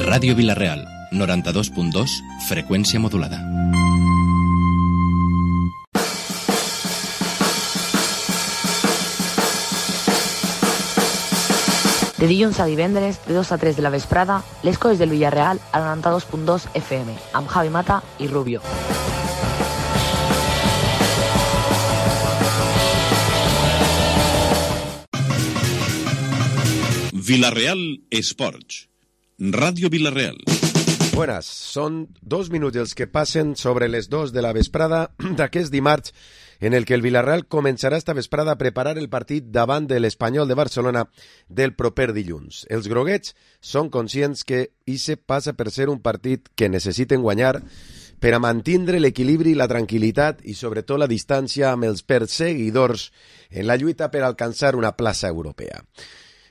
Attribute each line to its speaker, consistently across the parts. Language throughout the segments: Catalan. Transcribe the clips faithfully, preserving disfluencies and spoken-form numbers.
Speaker 1: Ràdio Vila-real, noranta-dos punt dos, freqüència modulada.
Speaker 2: De dilluns a divendres, de dos a tres de la vesprada, les coses del Villarreal a noranta-dos punt dos F M, amb Javi Mata i Rubio.
Speaker 3: Villarreal Esports. Ràdio Vila-real.
Speaker 4: Buenas, són dos minuts els que passen sobre les dos de la vesprada d'aquest dimarts en el que el Villarreal començarà esta vesprada a preparar el partit davant de l'Espanyol de Barcelona del proper dilluns. Els groguets són conscients que ixe passa per ser un partit que necessiten guanyar per a mantindre l'equilibri i la tranquil·litat i sobretot la distància amb els perseguidors en la lluita per alcançar una plaça europea.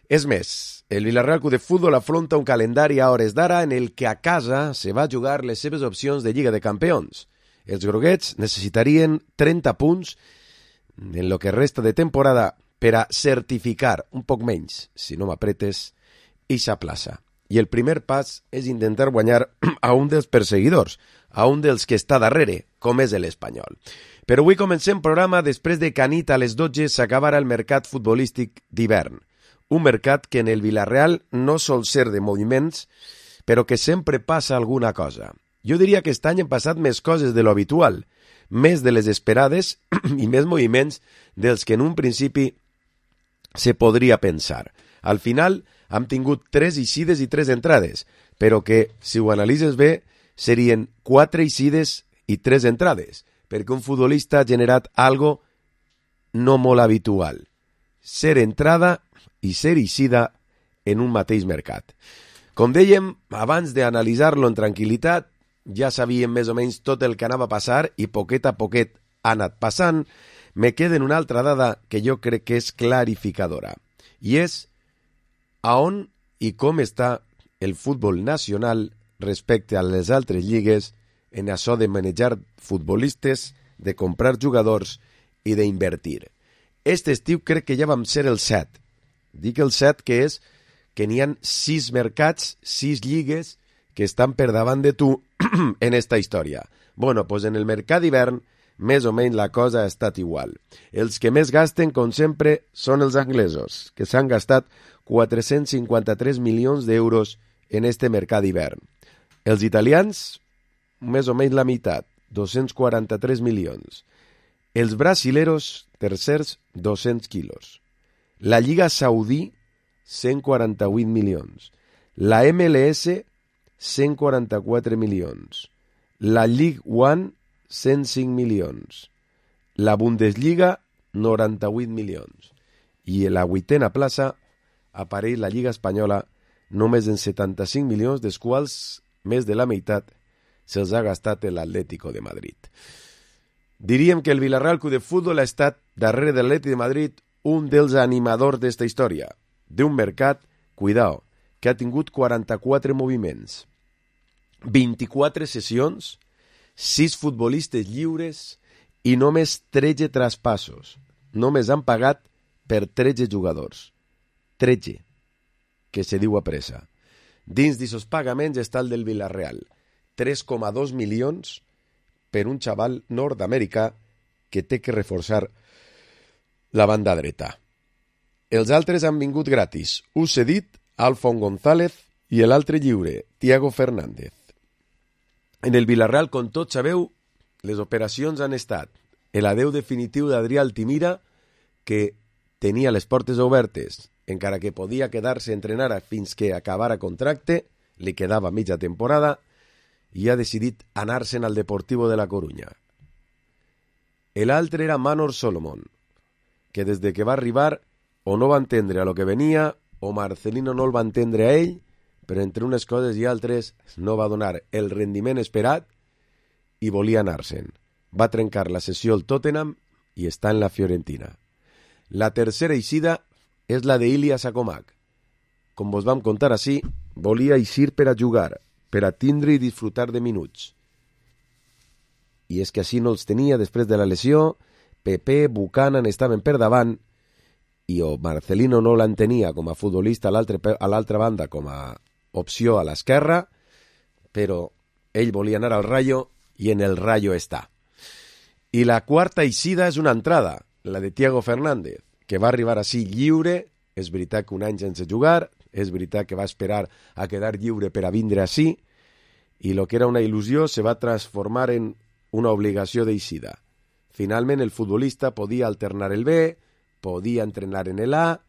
Speaker 4: És més, el Villarreal Club de Futbol afronta un calendari a hores d'ara en el que a casa se va jugar les seves opcions de Lliga de Campions. Els groguets necessitarien trenta punts en lo que resta de temporada per a certificar, un poc menys, si no m'apretes, ixa plaça. I el primer pas és intentar guanyar a un dels perseguidors, a un dels que està darrere, com és l'Espanyol. Però avui comencem programa després de que anit a les dotze s'acabara el mercat futbolístic d'hivern. Un mercat que en el Villarreal no sol ser de moviments, però que sempre passa alguna cosa. Jo diria que aquest any han passat més coses de lo habitual, més de les esperades i més moviments dels que en un principi se podria pensar. Al final hem tingut tres eixides i tres entrades, però que, si ho analitzes bé, serien quatre eixides i tres entrades, perquè un futbolista ha generat algo no molt habitual. Ser entrada i ser eixida en un mateix mercat. Com dèiem, abans d'analitzar-lo en tranquil·litat, ja sabíem més o menys tot el que anava a passar i poquet a poquet ha anat passant. Me queda una altra dada que jo crec que és clarificadora, i és a on i com està el futbol nacional respecte a les altres lligues en això de manejar futbolistes, de comprar jugadors i d'invertir. Este estiu crec que ja vam ser el set. Dic el set que és que n'hi ha sis mercats, sis lligues que estan per davant de tu en esta història. Bueno, pues en el mercat d'hivern, més o menys la cosa ha estat igual. Els que més gasten, com sempre, són els anglesos, que s'han gastat quatre-cents cinquanta-tres milions d'euros en este mercat d'hivern. Els italians, més o menys la meitat, dos-cents quaranta-tres milions. Els brasileros, tercers, dos-cents quilos. La Lliga Saudí, cent quaranta-vuit milions. La M L S, cent quaranta-quatre milions. La League One, cent cinc milions. La Bundesliga, noranta-vuit milions. I a la vuitena plaça apareix la Lliga Espanyola només en setanta-cinc milions, dels quals més de la meitat se'ls ha gastat l'Atlético de Madrid. Diríem que el Villarreal Club de Futbol ha estat, darrere de l'Atlètic de Madrid, un dels animadors d'esta història, d'un mercat, cuidao, que ha tingut quaranta-quatre moviments, vint-i-quatre sessions, sis futbolistes lliures i només tretze traspassos. Només han pagat per tretze jugadors. tretze, que se diu a pressa. Dins d'aquests pagaments està el del Villarreal, tres coma dos milions per un xaval nord-americà que té que reforçar la banda dreta. Els altres han vingut gratis. Us cedit, Alfon González i l'altre lliure, Thiago Fernández. En el Villarreal, com tots sabeu, les operacions han estat l'adeu definitiu d'Adrià Altimira, que tenia les portes obertes, encara que podia quedar-se a entrenar fins que acabara contracte, li quedava mitja temporada, i ha decidit anar-se'n al Deportivo de la Coruña. L'altre era Manor Solomon, que des de que va arribar o no va entendre a lo que venia o Marcelino no el va entendre a ell, però entre unes coses i altres no va donar el rendiment esperat i volia anar-se'n. Va trencar la sessió al Tottenham i està en la Fiorentina. La tercera eixida és la d'Ilya Sakomak. Com vos vam contar així, volia eixir per a jugar, per a tindre i disfrutar de minuts. I és que així no els tenia després de la lesió. Pepe, Buchanan estaven per davant i o Marcelino no l'entenia com a futbolista a l'altra, a l'altra banda com a opció a l'esquerra, però ell volia anar al Rayo i en el Rayo està. I la quarta eixida és una entrada, la de Thiago Fernández, que va arribar així lliure. És veritat que un any sense jugar, és veritat que va esperar a quedar lliure per a vindre així, i lo que era una il·lusió se va transformar en una obligació d'eixida. Finalment el futbolista podia alternar el B, podia entrenar en el A,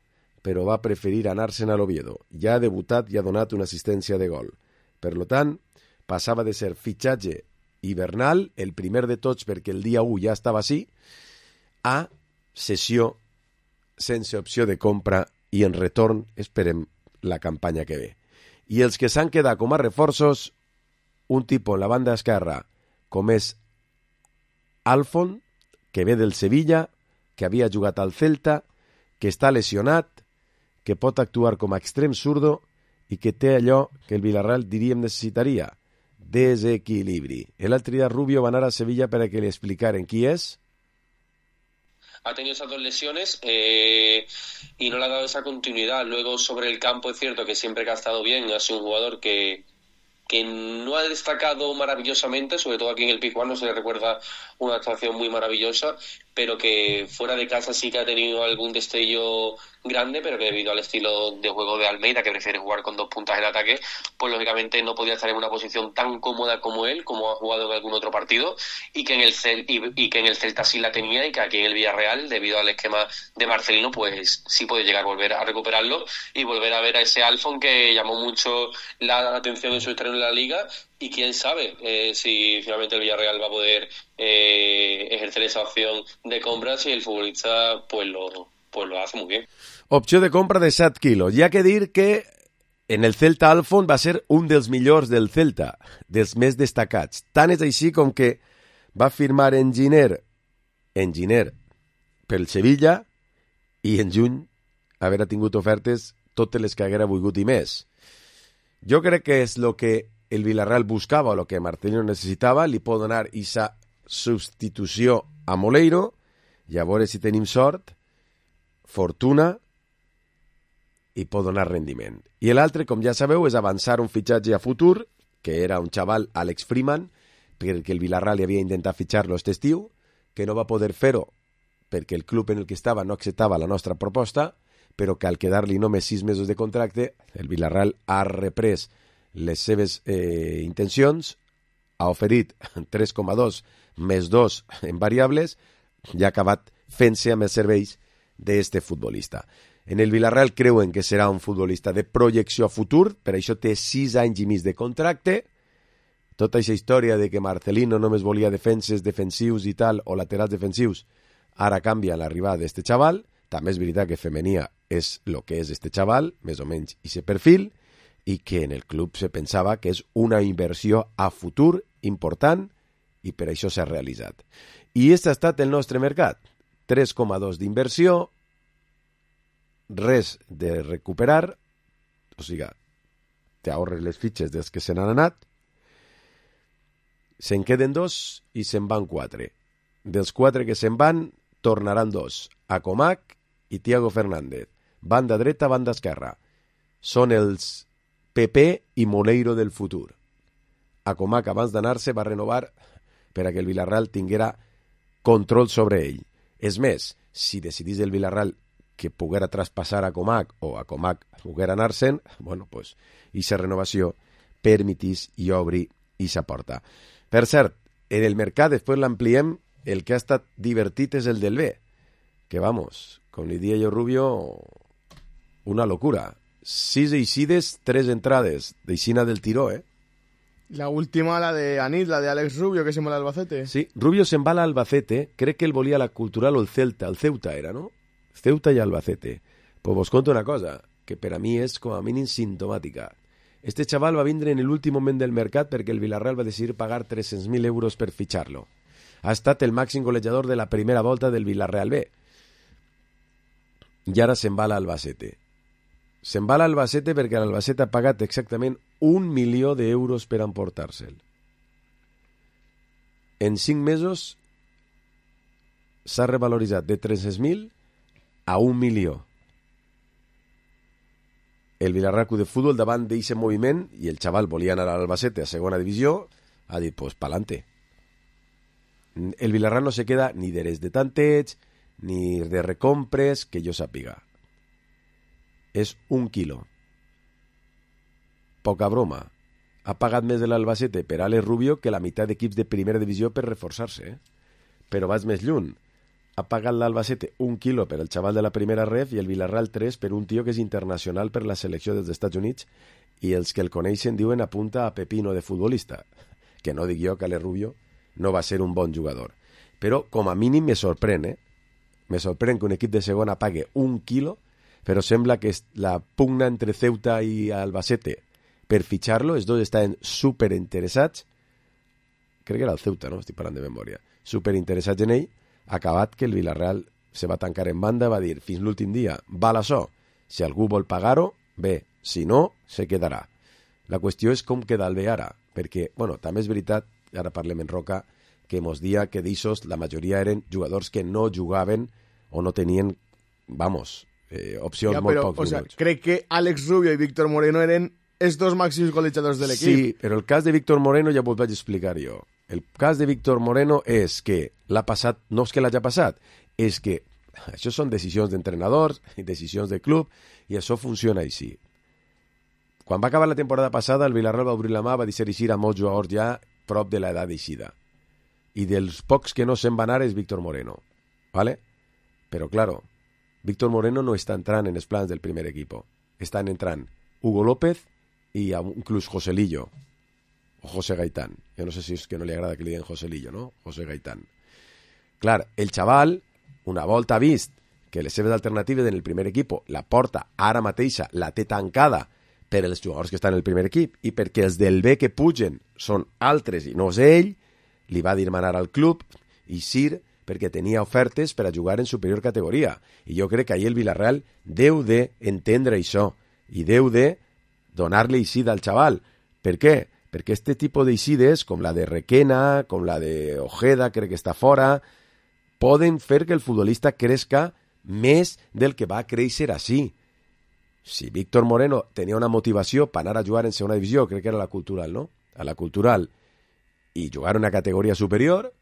Speaker 4: però va preferir anar-se'n a l'Oviedo. Ja ha debutat i ha donat una assistència de gol. Per lo tant, passava de ser fitxatge hivernal, el primer de tots perquè el dia u ja estava així, a cessió sense opció de compra i en retorn esperem la campanya que ve. I els que s'han quedat com a reforços, un tipus en la banda esquerra com és Alfon, que ve del Sevilla, que havia jugat al Celta, que està lesionat, que pot actuar com a extrem zurdo i que té allò que el Villarreal diríem necessitaria, desequilibri. L'altre dia Rubio va anar a Sevilla per a que li explicaren qui és.
Speaker 5: Ha tenido esas dos lesiones eh, y no le ha dado esa continuidad. Luego sobre el campo es cierto que siempre que ha estado bien ha sido un jugador que, que no ha destacado maravillosamente, sobre todo aquí en el Pizjuán no se le recuerda una actuación muy maravillosa, pero que fuera de casa sí que ha tenido algún destello grande, pero que debido al estilo de juego de Almeida, que prefiere jugar con dos puntas en ataque, pues lógicamente no podía estar en una posición tan cómoda como él, como ha jugado en algún otro partido, y que en el Cel- y, y que en el Celta sí la tenía, y que aquí en el Villarreal, debido al esquema de Marcelino, pues sí puede llegar a volver a recuperarlo y volver a ver a ese Alfon que llamó mucho la atención en su estreno en la Liga. Y quién sabe eh, si finalmente el Villarreal va a poder eh, ejercer esa opción de compra si el futbolista pues lo, pues lo hace muy bien.
Speaker 4: Opció de compra de set quilos. Hi ha que dir que en el Celta Alfon va ser un dels millors del Celta, dels més destacats. Tant és així com que va firmar en Giner, en Giner pel Sevilla i en juny haver tingut ofertes totes les que haguera volgut i més. Jo crec que és el que el Villarreal buscava o el que Marcelino necessitava, li pot donar aquesta substitució a Moleiro i a veure si tenim sort, fortuna i pot donar rendiment. I l'altre, com ja sabeu, és avançar un fitxatge a futur, que era un xaval, Alex Freeman, perquè el Villarreal li havia intentat fitxar-lo aquest estiu, que no va poder fer-ho perquè el club en el que estava no acceptava la nostra proposta, però que al quedar-li només sis mesos de contracte, el Villarreal ha reprès les seves eh, intencions, ha oferit tres coma dos més dos en variables i ha acabat fent-se amb els serveis d'este futbolista. En el Villarreal creuen que serà un futbolista de projecció a futur, per això té sis anys i mig de contracte. Tota aquesta història de que Marcelino només volia defenses defensius i tal, o laterals defensius, ara canvia l'arribada d'este xaval. També és veritat que Femenia és el que és este xaval, més o menys i aquest perfil, i que en el club se pensava que és una inversió a futur important i per això s'ha realitzat. I aquest ha estat el nostre mercat. tres coma dos d'inversió, res de recuperar, o sigui, t'ahorres les fitxes dels que se n'han anat, se'n queden dos i se'n van quatre. Dels quatre que se'n van, tornaran dos, Acomac i Thiago Fernández. Banda dreta, banda esquerra. Són els P P i Moleiro del futur. Acomac, abans d'anar-se, va renovar per a que el Villarreal tinguera control sobre ell. És més, si decidís el Villarreal que poguera traspassar a Acomac o Acomac poguera anar-se'n, bueno, pues, aquesta renovació permetís i obri aquesta porta. Per cert, en el mercat, després l'ampliem, el que ha estat divertit és el del B, que vamos, com li dia jo Rubio, una locura. Sis eixides, tres entrades, d'eixina del tiró, eh?
Speaker 6: La última, la de Anit, la de Alex Rubio, que se va al Albacete.
Speaker 4: Sí, Rubio se'n va a l'Albacete, crec que él volia la Cultural o el Celta, el Ceuta era, no? Ceuta i Albacete. Pues vos conto una cosa, que per a mi és com a mínim sintomàtica. Este xaval va vindre en l'últim moment del mercat perquè el Villarreal va decidir pagar tres-cents mil euros per fitxar-lo. Ha estat el màxim golejador de la primera volta del Villarreal B. I ara se'n va a l'Albacete. Se'n va a l'Albacete perquè l'Albacete ha pagat exactament un milió d'euros per emportar-se'l. En cinc mesos s'ha revaloritzat de tres-cents mil a un milió. El Villarreal Club de Fútbol davant d'aquest moviment i el xaval volia anar a l'Albacete a segona divisió, ha dit, pues pa'lante. El Villarreal no se queda ni d'eres de tanteig ni de recompres que jo sàpiga. És un quilo. Poca broma. Ha pagat més de l'Albacete per Alex Rubio que la meitat d'equips de primera divisió per reforçar-se. Eh? Però vaig més lluny. Ha pagat l'Albacete un quilo per el xaval de la primera ref i el Villarreal tres per un tio que és internacional per la selecció dels Estats Units i els que el coneixen diuen apunta a Pepino de futbolista. Que no dic jo que Alex Rubio no va ser un bon jugador. Però com a mínim me sorprèn, eh? Me sorprèn que un equip de segona pague un quilo, però sembla que la pugna entre Ceuta i Albacete per fitxar-lo, els dos estaven superinteressats, crec que era el Ceuta, no? Estic parlant de memòria, superinteressats en ell, acabat que el Villarreal se va tancar en banda, va dir, fins l'últim dia, val això, si algú vol pagar-ho, bé, si no, se quedarà. La qüestió és com queda el bé ara, perquè, bueno, també és veritat, ara parlem en Roca, que mos dia que d'ixos la majoria eren jugadors que no jugaven o no tenien, vamos, eh, opcions ja, molt poc
Speaker 6: o sea, crec que Alex Rubio i Víctor Moreno eren els dos màxims golejadors de l'equip.
Speaker 4: Sí, però el cas de Víctor Moreno ja vos vaig explicar jo. El cas de Víctor Moreno és que l'ha passat, no és que l'hagi passat, és que això són decisions d'entrenadors i decisions de club i això funciona així. Quan va acabar la temporada passada, el Villarreal va obrir la mà, va dir a molts jugadors ja prop de l'edat d'eixida. I dels pocs que no se'n va anar és Víctor Moreno. ¿Vale? Però, claro, Víctor Moreno no està entrant en els plans del primer equip. Estan entrant Hugo López i inclús Joselillo. O José Gaitán. Jo no sé si és que no li agrada que li diguen Joselillo, no? José Gaitán. Clar, el xaval, una volta vist que les seves alternatives en el primer equip, la porta ara mateixa la té tancada per els jugadors que estan en el primer equip i perquè els del B que pugen són altres i no és ell, li va dir manar al club i Sir perquè tenia ofertes per a jugar en superior categoria. I jo crec que ahir el Villarreal deu d'entendre això i deu de donar-li eixida al xaval. Per què? Perquè este tipus d'eixides, com la de Requena, com la de Ojeda, crec que està fora, poden fer que el futbolista crezca més del que va créixer així. Si Víctor Moreno tenia una motivació per anar a jugar en segona divisió, crec que era la Cultural, no? A la Cultural, i jugar una categoria superior,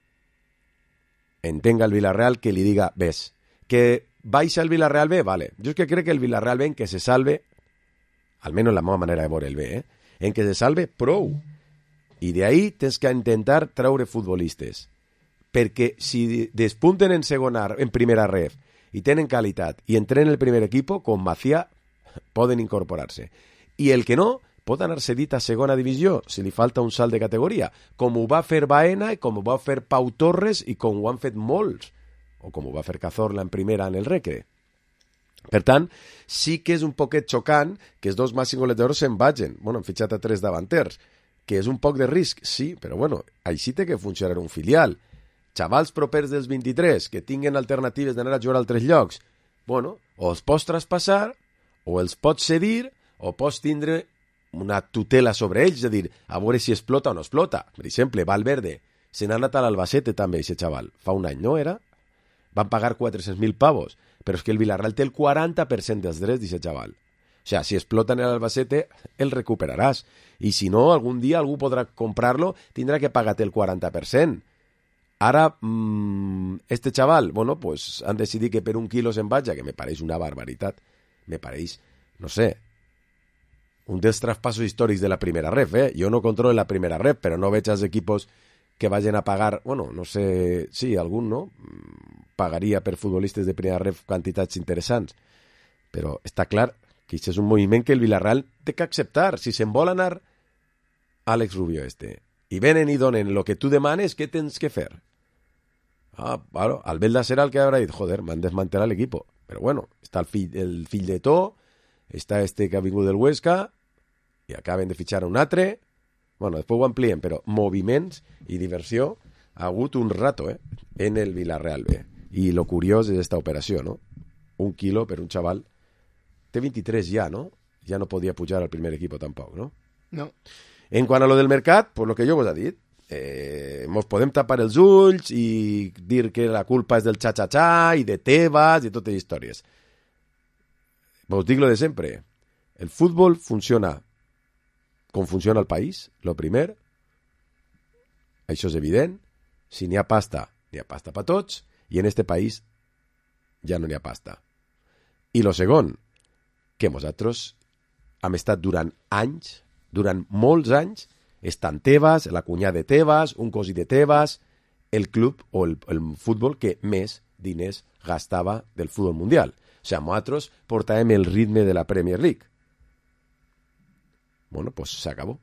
Speaker 4: entenga el Villarreal que li diga, ves, que baixa el Villarreal B, vale. Jo és que crec que el Villarreal B en que se salve, almenys la meva manera de veure el B, eh? En que se salve prou. I d'ahí tens que intentar treure futbolistes. Perquè si despunten en segona, en primera ref, i tenen qualitat, i entren en el primer equip, com Macià, poden incorporar-se. I el que no, pot anar cedit a segona divisió, si li falta un salt de categoria, com ho va fer Baena, i com ho va fer Pau Torres, i com ho han fet molts, o com ho va fer Cazorla en primera en el Recre. Per tant, sí que és un poquet xocant que els dos màxims golejadors se'n vagin. Bueno, han fitxat a tres davanters, que és un poc de risc, sí, però bueno, així té que funcionar un filial. Xavals propers dels vint-i-tres que tinguen alternatives d'anar a jugar a altres llocs, bueno, o els pots traspassar, o els pots cedir, o pots tindre una tutela sobre ells, és a dir, a veure si explota o no explota. Per exemple, Valverde, se n'ha anat a l'Albacete també, aquest xaval, fa un any, no era? Van pagar quatre-cents mil pavos, però és que el Villarreal té el quaranta per cent dels drets d'aquest xaval. O sea, si explota en l'Albacete, el recuperaràs. I si no, algun dia algú podrà comprar-lo, tindrà que pagar-te el quaranta per cent. Ara, mmm, este xaval, bueno, pues han decidit que per un quilo se'n vaja, que me pareix una barbaritat. Me pareix, no sé, un dels traspassos històrics de la primera ref, eh? Jo no controlo la primera ref, però no veig els equipos que vagin a pagar, bueno, no sé, sí, algun, no? Pagaria per futbolistes de primera ref quantitats interessants. Però està clar que això és un moviment que el Villarreal té que acceptar. Si se'n vol anar Àlex Rubio este, i venen i donen el que tu demanes, què tens que fer? Ah, bueno, Albelda serà el que haurà dit, joder, m'han desmantelat l'equip. Però bueno, està el fill, el fill de To, està este que ha vingut del Huesca, i acaben de fitxar un altre. Bueno, després ho amplien, però moviments i diversió ha hagut un rato, eh, en el Villarreal B. I lo curiós és esta operació, no? Un quilo per un xaval. Té vint-i-tres ja, no? Ja no podia pujar al primer equip tampoc, no?
Speaker 6: No.
Speaker 4: En quant a lo del mercat, pues lo que jo vos he dit, eh, mos podem tapar els ulls i dir que la culpa és del xa-xa-xa i de Tebas i totes les històries. os dic lo de sempre. El futbol funciona com funciona el país, lo primer. Això és evident. Si n'hi ha pasta, n'hi ha pasta per tots, i en este país ja no n'hi ha pasta. I lo segon, que nosaltres hem estat durant anys, durant molts anys, estan Tebas, la cunyada de Tebas, un cosí de Tebas, el club o el, el futbol que més diners gastava del futbol mundial. O sigui, nosaltres portàvem el ritme de la Premier League. Bueno, pues s'acabó.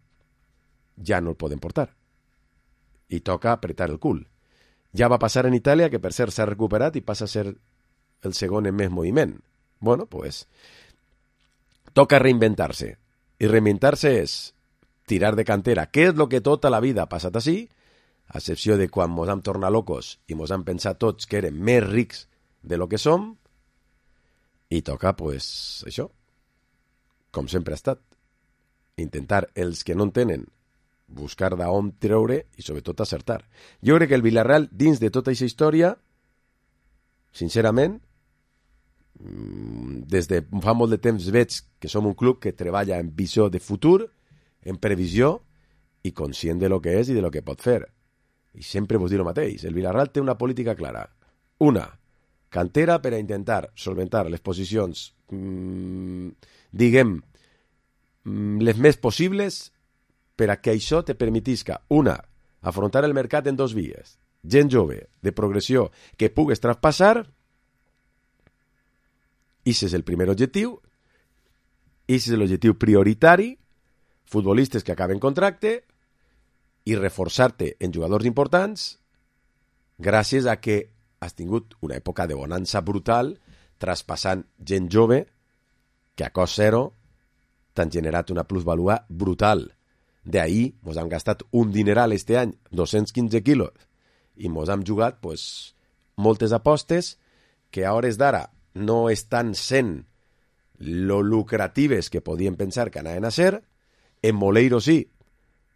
Speaker 4: Ja no el podem portar. I toca apretar el cul. Ja va passar en Itàlia, que per cert s'ha recuperat i passa a ser el segon en més moviment. Bueno, pues toca reinventar-se. I reinventar-se és tirar de cantera, que és el que tota la vida ha passat així, a excepció de quan mos hem tornat locos i mos hem pensat tots que érem més rics de lo que som, i toca, pues, això, com sempre ha estat. Intentar, els que no en tenen, buscar d'on treure i sobretot acertar. Jo crec que el Villarreal, dins de tota aquesta història, sincerament, des de fa molt de temps veig que som un club que treballa en visió de futur, en previsió i conscient de lo que és i de lo que pot fer. I sempre vos dic el mateix. El Villarreal té una política clara. Una, cantera per a intentar solventar les posicions, mmm, diguem, les més possibles per a que això te permetisca, una, afrontar el mercat en dos vies. Gent jove, de progressió, que pugues traspassar, i ese és el primer objectiu, i ese és l'objectiu prioritari, futbolistes que acaben contracte, i reforçar-te en jugadors importants, gràcies a que has tingut una època de bonança brutal, traspassant gent jove, que a cost zero t'han generat una plusvalua brutal. D'ahir mos hem gastat un dineral este any, dos-cents quinze quilos, i mos hem jugat pues, moltes apostes que a hores d'ara no estan sent lo lucratives que podien pensar que anaven a ser. En Moleiro sí,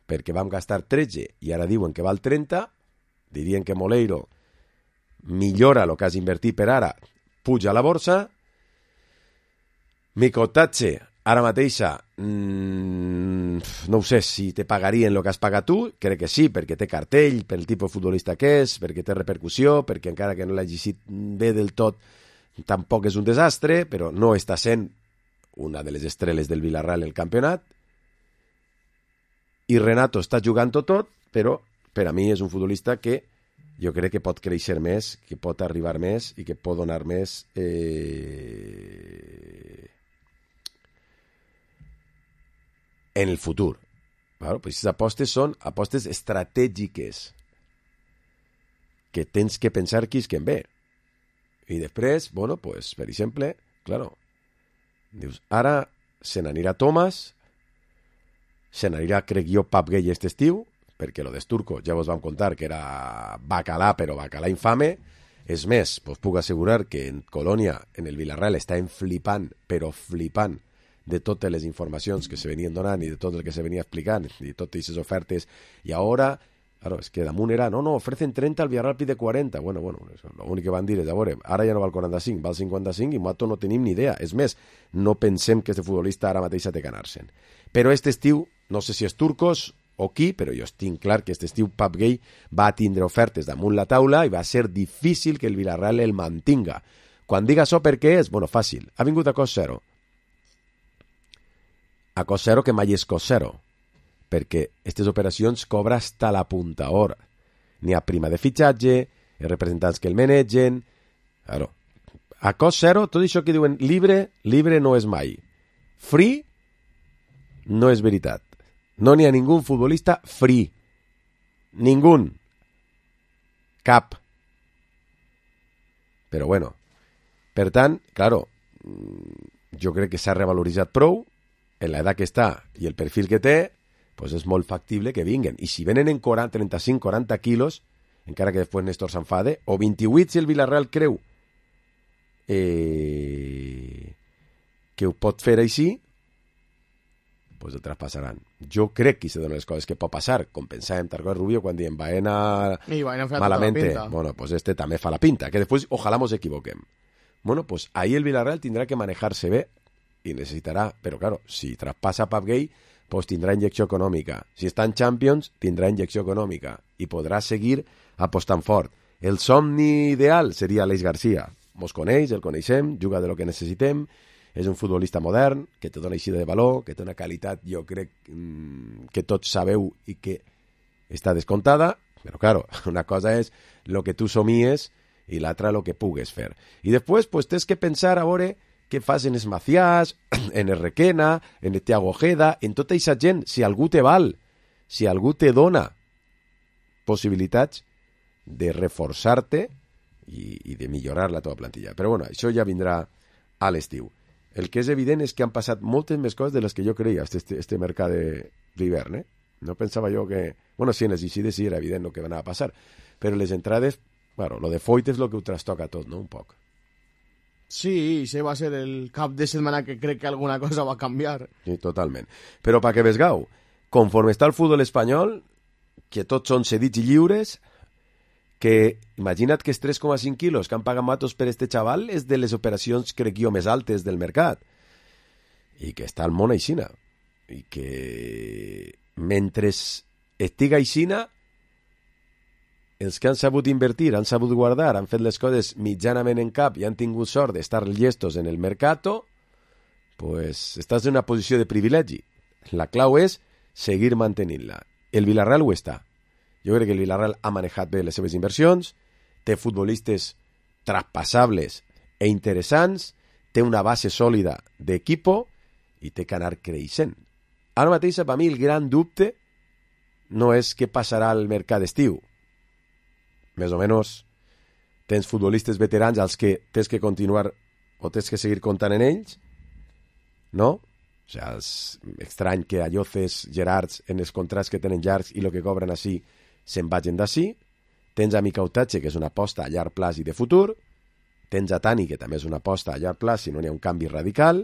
Speaker 4: perquè vam gastar tretze i ara diuen que val trenta, dirien que Moleiro millora el que has invertit per ara, puja a la borsa. Micotatge, ara mateixa, mmm, no ho sé si te pagarien el que has pagat tu, crec que sí, perquè té cartell, per el tipus de futbolista que és, perquè té repercussió, perquè encara que no l'hagi sigut bé del tot, tampoc és un desastre, però no està sent una de les estrelles del Villarreal en el campionat. I Renato està jugant-ho tot, però per a mi és un futbolista que jo crec que pot créixer més, que pot arribar més i que pot donar més eh... en el futur. Claro, pues aquestes apostes són apostes estratègiques que tens que pensar qui és que en ve. I després, bueno, pues, per exemple, claro, dius, ara se n'anirà Thomas, se n'anirà, crec jo, Pap Gay aquest estiu, perquè lo d'Esturco ja vos vam contar que era bacalà, però bacalà infame. És més, vos puc assegurar que en Colònia, en el Villarreal, estan flipant, però flipant, de totes les informacions que se venien donant i de tot el que se venia explicant, i de totes aquestes ofertes. I ara, claro, és que damunt era, no, no, ofrecen trenta, el Villarreal pide quaranta. Bueno, bueno, l'únic que van dir és, a veure, ara ja no val quaranta-cinc, val cinquanta-cinc, i nosaltres no tenim ni idea. És més, no pensem que este futbolista ara mateix ha de ganar-se'n. Però este estiu, no sé si és Turcos o qui, però jo estic clar que este estiu Pap Gay va tindre ofertes damunt la taula i va ser difícil que el Villarreal el mantinga. Quan diga això, per què és? Bueno, fàcil. Ha vingut a cost zero. A cost zero que mai és cost zero, perquè aquestes operacions cobra hasta la punta hora. N'hi ha prima de fitxatge, els representants que el manegen. Claro. A cost zero, tot això que diuen libre, libre no és mai. Free no és veritat. No n'hi ha ningú futbolista free. Ningú. Cap. Però bueno. Per tant, claro, jo crec que s'ha revaloritzat prou. En l'edat que està i el perfil que té, pues és molt factible que vinguen. I si venen en quaranta, trenta-cinc quaranta quilos, encara que després Néstor s'enfade, o vint-i-vuit si el Villarreal creu eh, que ho pot fer així, pues el traspassaran. Jo crec que se donen les coses que pot passar, com pensàvem Tarcós Rubio quan diem Baena malamente, bueno, pues este també fa la pinta, que després ojalà mos equivoquem. Bueno, pues ahí el Villarreal tindrà que manejar-se bé i necessitarà, però claro, si traspassa Pap Gay, pues tindrà injecció econòmica. Si està en Champions, tindrà injecció econòmica i podrà seguir apostant fort. El somni ideal seria Aleix Garcia. Mos coneix, el coneixem, juga de lo que necessitem, és un futbolista modern, que te dona eixida de valor, que té una qualitat, jo crec, mmm, que tots sabeu i que està descontada, però claro, una cosa és el que tu somies i l'altra el que pugues fer. I després pues, tens que pensar a veure què fas en els Maciàs, en el Requena, en el Thiago Ojeda, en tota aquesta gent, si algú te val, si algú te dona possibilitats de reforçar-te i, i de millorar la teva plantilla. Però bueno, això ja vindrà a l'estiu. El que és evident és que han passat moltes més coses de les que jo creia este, este mercat d'hivern, eh? No pensava jo que... Bueno, sí, en les eixides sí era evident el que va anar a passar, però les entrades, bueno, lo de Foyt és el que ho trastoca tot, no? Un poc.
Speaker 6: Sí, ese va a ser el cap de setmana que crec que alguna cosa va a canviar.
Speaker 4: Sí, totalment. Però perquè vesgau, conforme està el futbol espanyol, que tots són cedits i lliures, que imagina't que els tres coma cinc quilos que han pagat Matos per este xaval és de les operacions, crec jo, més altes del mercat. I que està al món aixina. I que mentre estiga aixina, els que han sabut invertir, han sabut guardar, han fet les coses mitjanament en cap i han tingut sort d'estar llestos en el mercato, pues estàs en una posició de privilegi. La clau és seguir mantenint-la. El Villarreal ho està. Jo crec que el Villarreal ha manejat bé les seves inversions, té futbolistes traspassables e interessants, té una base sòlida d'equipo i té que anar creixent. Ara mateix, per mi, el gran dubte no és què passarà al mercat d'estiu. Més o menys tens futbolistes veterans als que tens que continuar o tens que seguir comptant en ells, no? O sigui, és estrany que Alloces, Gerards, en els contrats que tenen llargs i el que cobren així, se'n vagin d'ací. Tens a Mica Utatge, que és una aposta a llarg plaç i de futur. Tens a Tani, que també és una aposta a llarg plaç si no n'hi ha un canvi radical.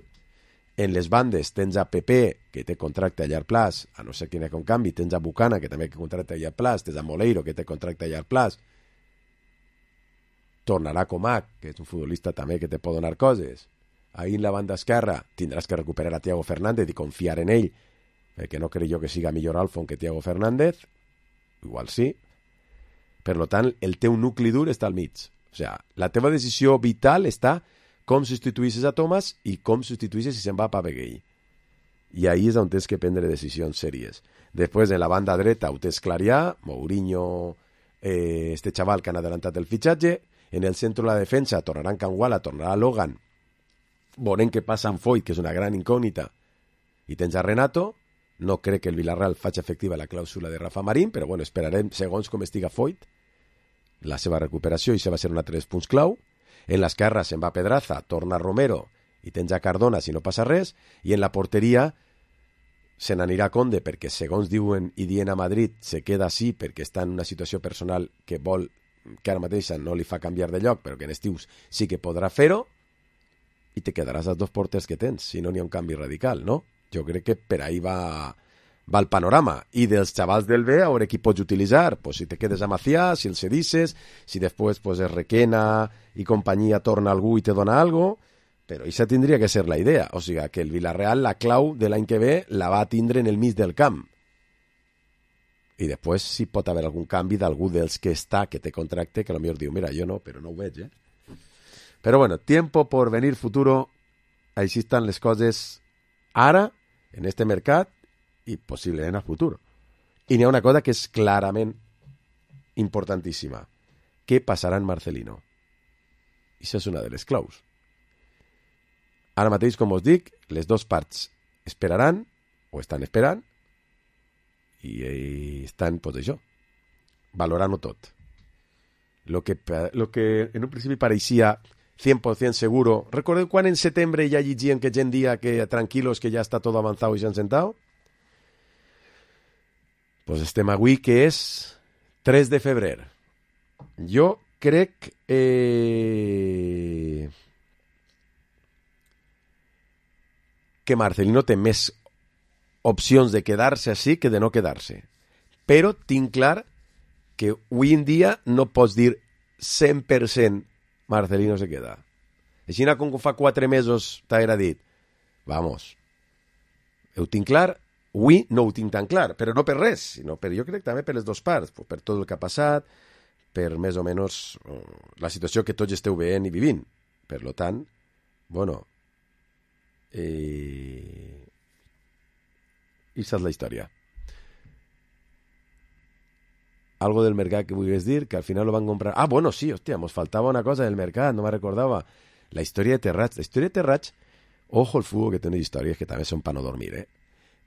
Speaker 4: En les bandes tens a Pepe, que té contracte a llarg plaç, a no ser que n'hi ha un canvi. Tens a Bucana, que també té contracte a llarg plaç. Tens a Moleiro, que té contracte a llarg plaç. Tornarà Comac, que és un futbolista també que te pot donar coses. Ahí en la banda esquerra tindràs que recuperar a Thiago Fernández i confiar en ell, perquè no crec jo que siga millor Alfon que Thiago Fernández. Igual sí. Per tant, el teu nucli dur està al mig. O sigui, la teva decisió vital està com substituïssis a Thomas i com substituïssis si se'n va a Papeguei. I ahí és on tens que prendre decisions sèries. Després, en la banda dreta, ho tens Clarià, Mourinho, eh, este xaval que han adelantat el fitxatge. En el centre de la defensa tornaran Canguala, tornarà Logan. Veurem què passa amb Foyt, que és una gran incògnita. I tens a Renato. No crec que el Villarreal faci efectiva la clàusula de Rafa Marín, però bueno, esperarem segons com estiga Foyt, la seva recuperació, i això va ser un altre dels punts clau. En l'esquerra se'n va Pedraza, torna Romero, i tens a Cardona si no passa res, i en la porteria se n'anirà Conde, perquè segons diuen i dient a Madrid, se queda així perquè està en una situació personal que vol, que ara mateixa no li fa canviar de lloc, però que en estius sí que podrà fer-ho, i te quedaràs als dos porters que tens, si no n'hi ha un canvi radical, no? Jo crec que per ahí va, va el panorama. I dels xavals del B, a veure qui pots utilitzar. Pues si te quedes a Macià, si el cedisses, si després pues, es Requena i companyia torna algú i te dona algo, però això tindria que ser la idea. O sigui, que el Villarreal, la clau de l'any que ve, la va tindre en el mig del camp. I després si pot haver algun canvi d'algú dels que està, que té contracte, que potser diu, mira, jo no, però no ho veig, eh? Però bueno, tiempo por venir futuro, així estan les coses ara, en este mercat i possiblement a futur. I n'hi ha una cosa que és clarament importantíssima. Què passarà en Marcelino? I això és una de les claus. Ara mateix, com us dic, les dues parts esperaran, o estan esperant, i estan, pues això, valorant-ho tot. Lo que, lo que en un principi pareixia cien por ciento seguro. ¿Recuerden cuando en septiembre ya llegían que gen día que tranquilos que ya está todo avanzado y se han sentado? Pues estem avui que és tres de febrer. Jo crec eh, que Marcelino té més opcions de quedar-se així que de no quedar-se. Però tinc clar que avui en dia no pots dir cent per cent Marcelino se queda. Així com fa quatre mesos t'haguera dit, vamos, ho tinc clar, avui no ho tinc tan clar, però no per res, sinó per, jo crec també per les dues parts, per tot el que ha passat, per més o menys la situació que tots esteu veient i vivint. Per lo tant, bueno, eh... i esa és la història. Algo del mercat que vulguis dir, que al final lo van comprar. Ah, bueno, sí, hòstia, nos faltava una cosa del mercat, no me recordava. La història de Terrats. La història de Terrats, ojo el fútbol que té unes històries que també són per no dormir, eh?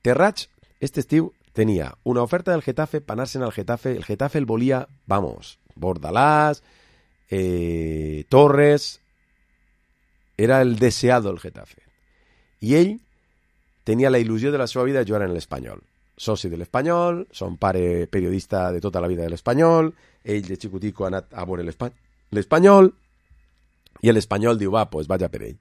Speaker 4: Terrats, este estiu, tenia una oferta del Getafe per anar-se'n al Getafe. El Getafe el volia, vamos, Bordalás, eh, Torres, era el deseado del Getafe. I ell tenia la il·lusió de la seva vida de jugar en l'Espanyol. Soci de l'Espanyol, son pare periodista de tota la vida de l'Espanyol, ell de xicutico ha anat a veure l'Espanyol, i l'Espanyol diu, va, pues vaja per ell.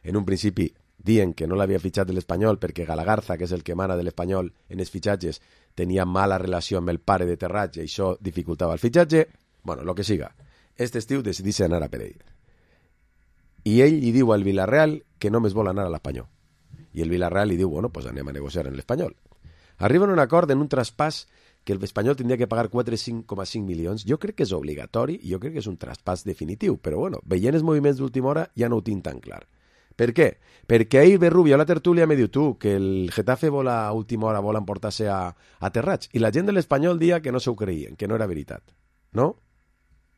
Speaker 4: En un principi dient que no l'havia fitxat de l'Espanyol perquè Galagarza, que és el que mana de l'Espanyol en els fitxatges, tenia mala relació amb el pare de Terrats i això dificultava el fitxatge. Bueno, lo que siga. Este estiu decidís anar a per ell. I ell li diu al Villarreal que només vol anar a l'Espanyol. I el Villarreal li diu, bueno, pues anem a negociar en l'Espanyol. Arriben a un acord en un traspàs que l'Espanyol tindria que pagar quatre coma cinc milions. Jo crec que és obligatori i jo crec que és un traspàs definitiu, però bueno, veient els moviments d'última hora ja no ho tinc tan clar. Per què? Perquè ahir ve Rubio a la tertúlia me diu tu que el Getafe vol a última hora vol emportar-se a, a Terrats i la gent de l'Espanyol dia que no s'ho creien, que no era veritat, no?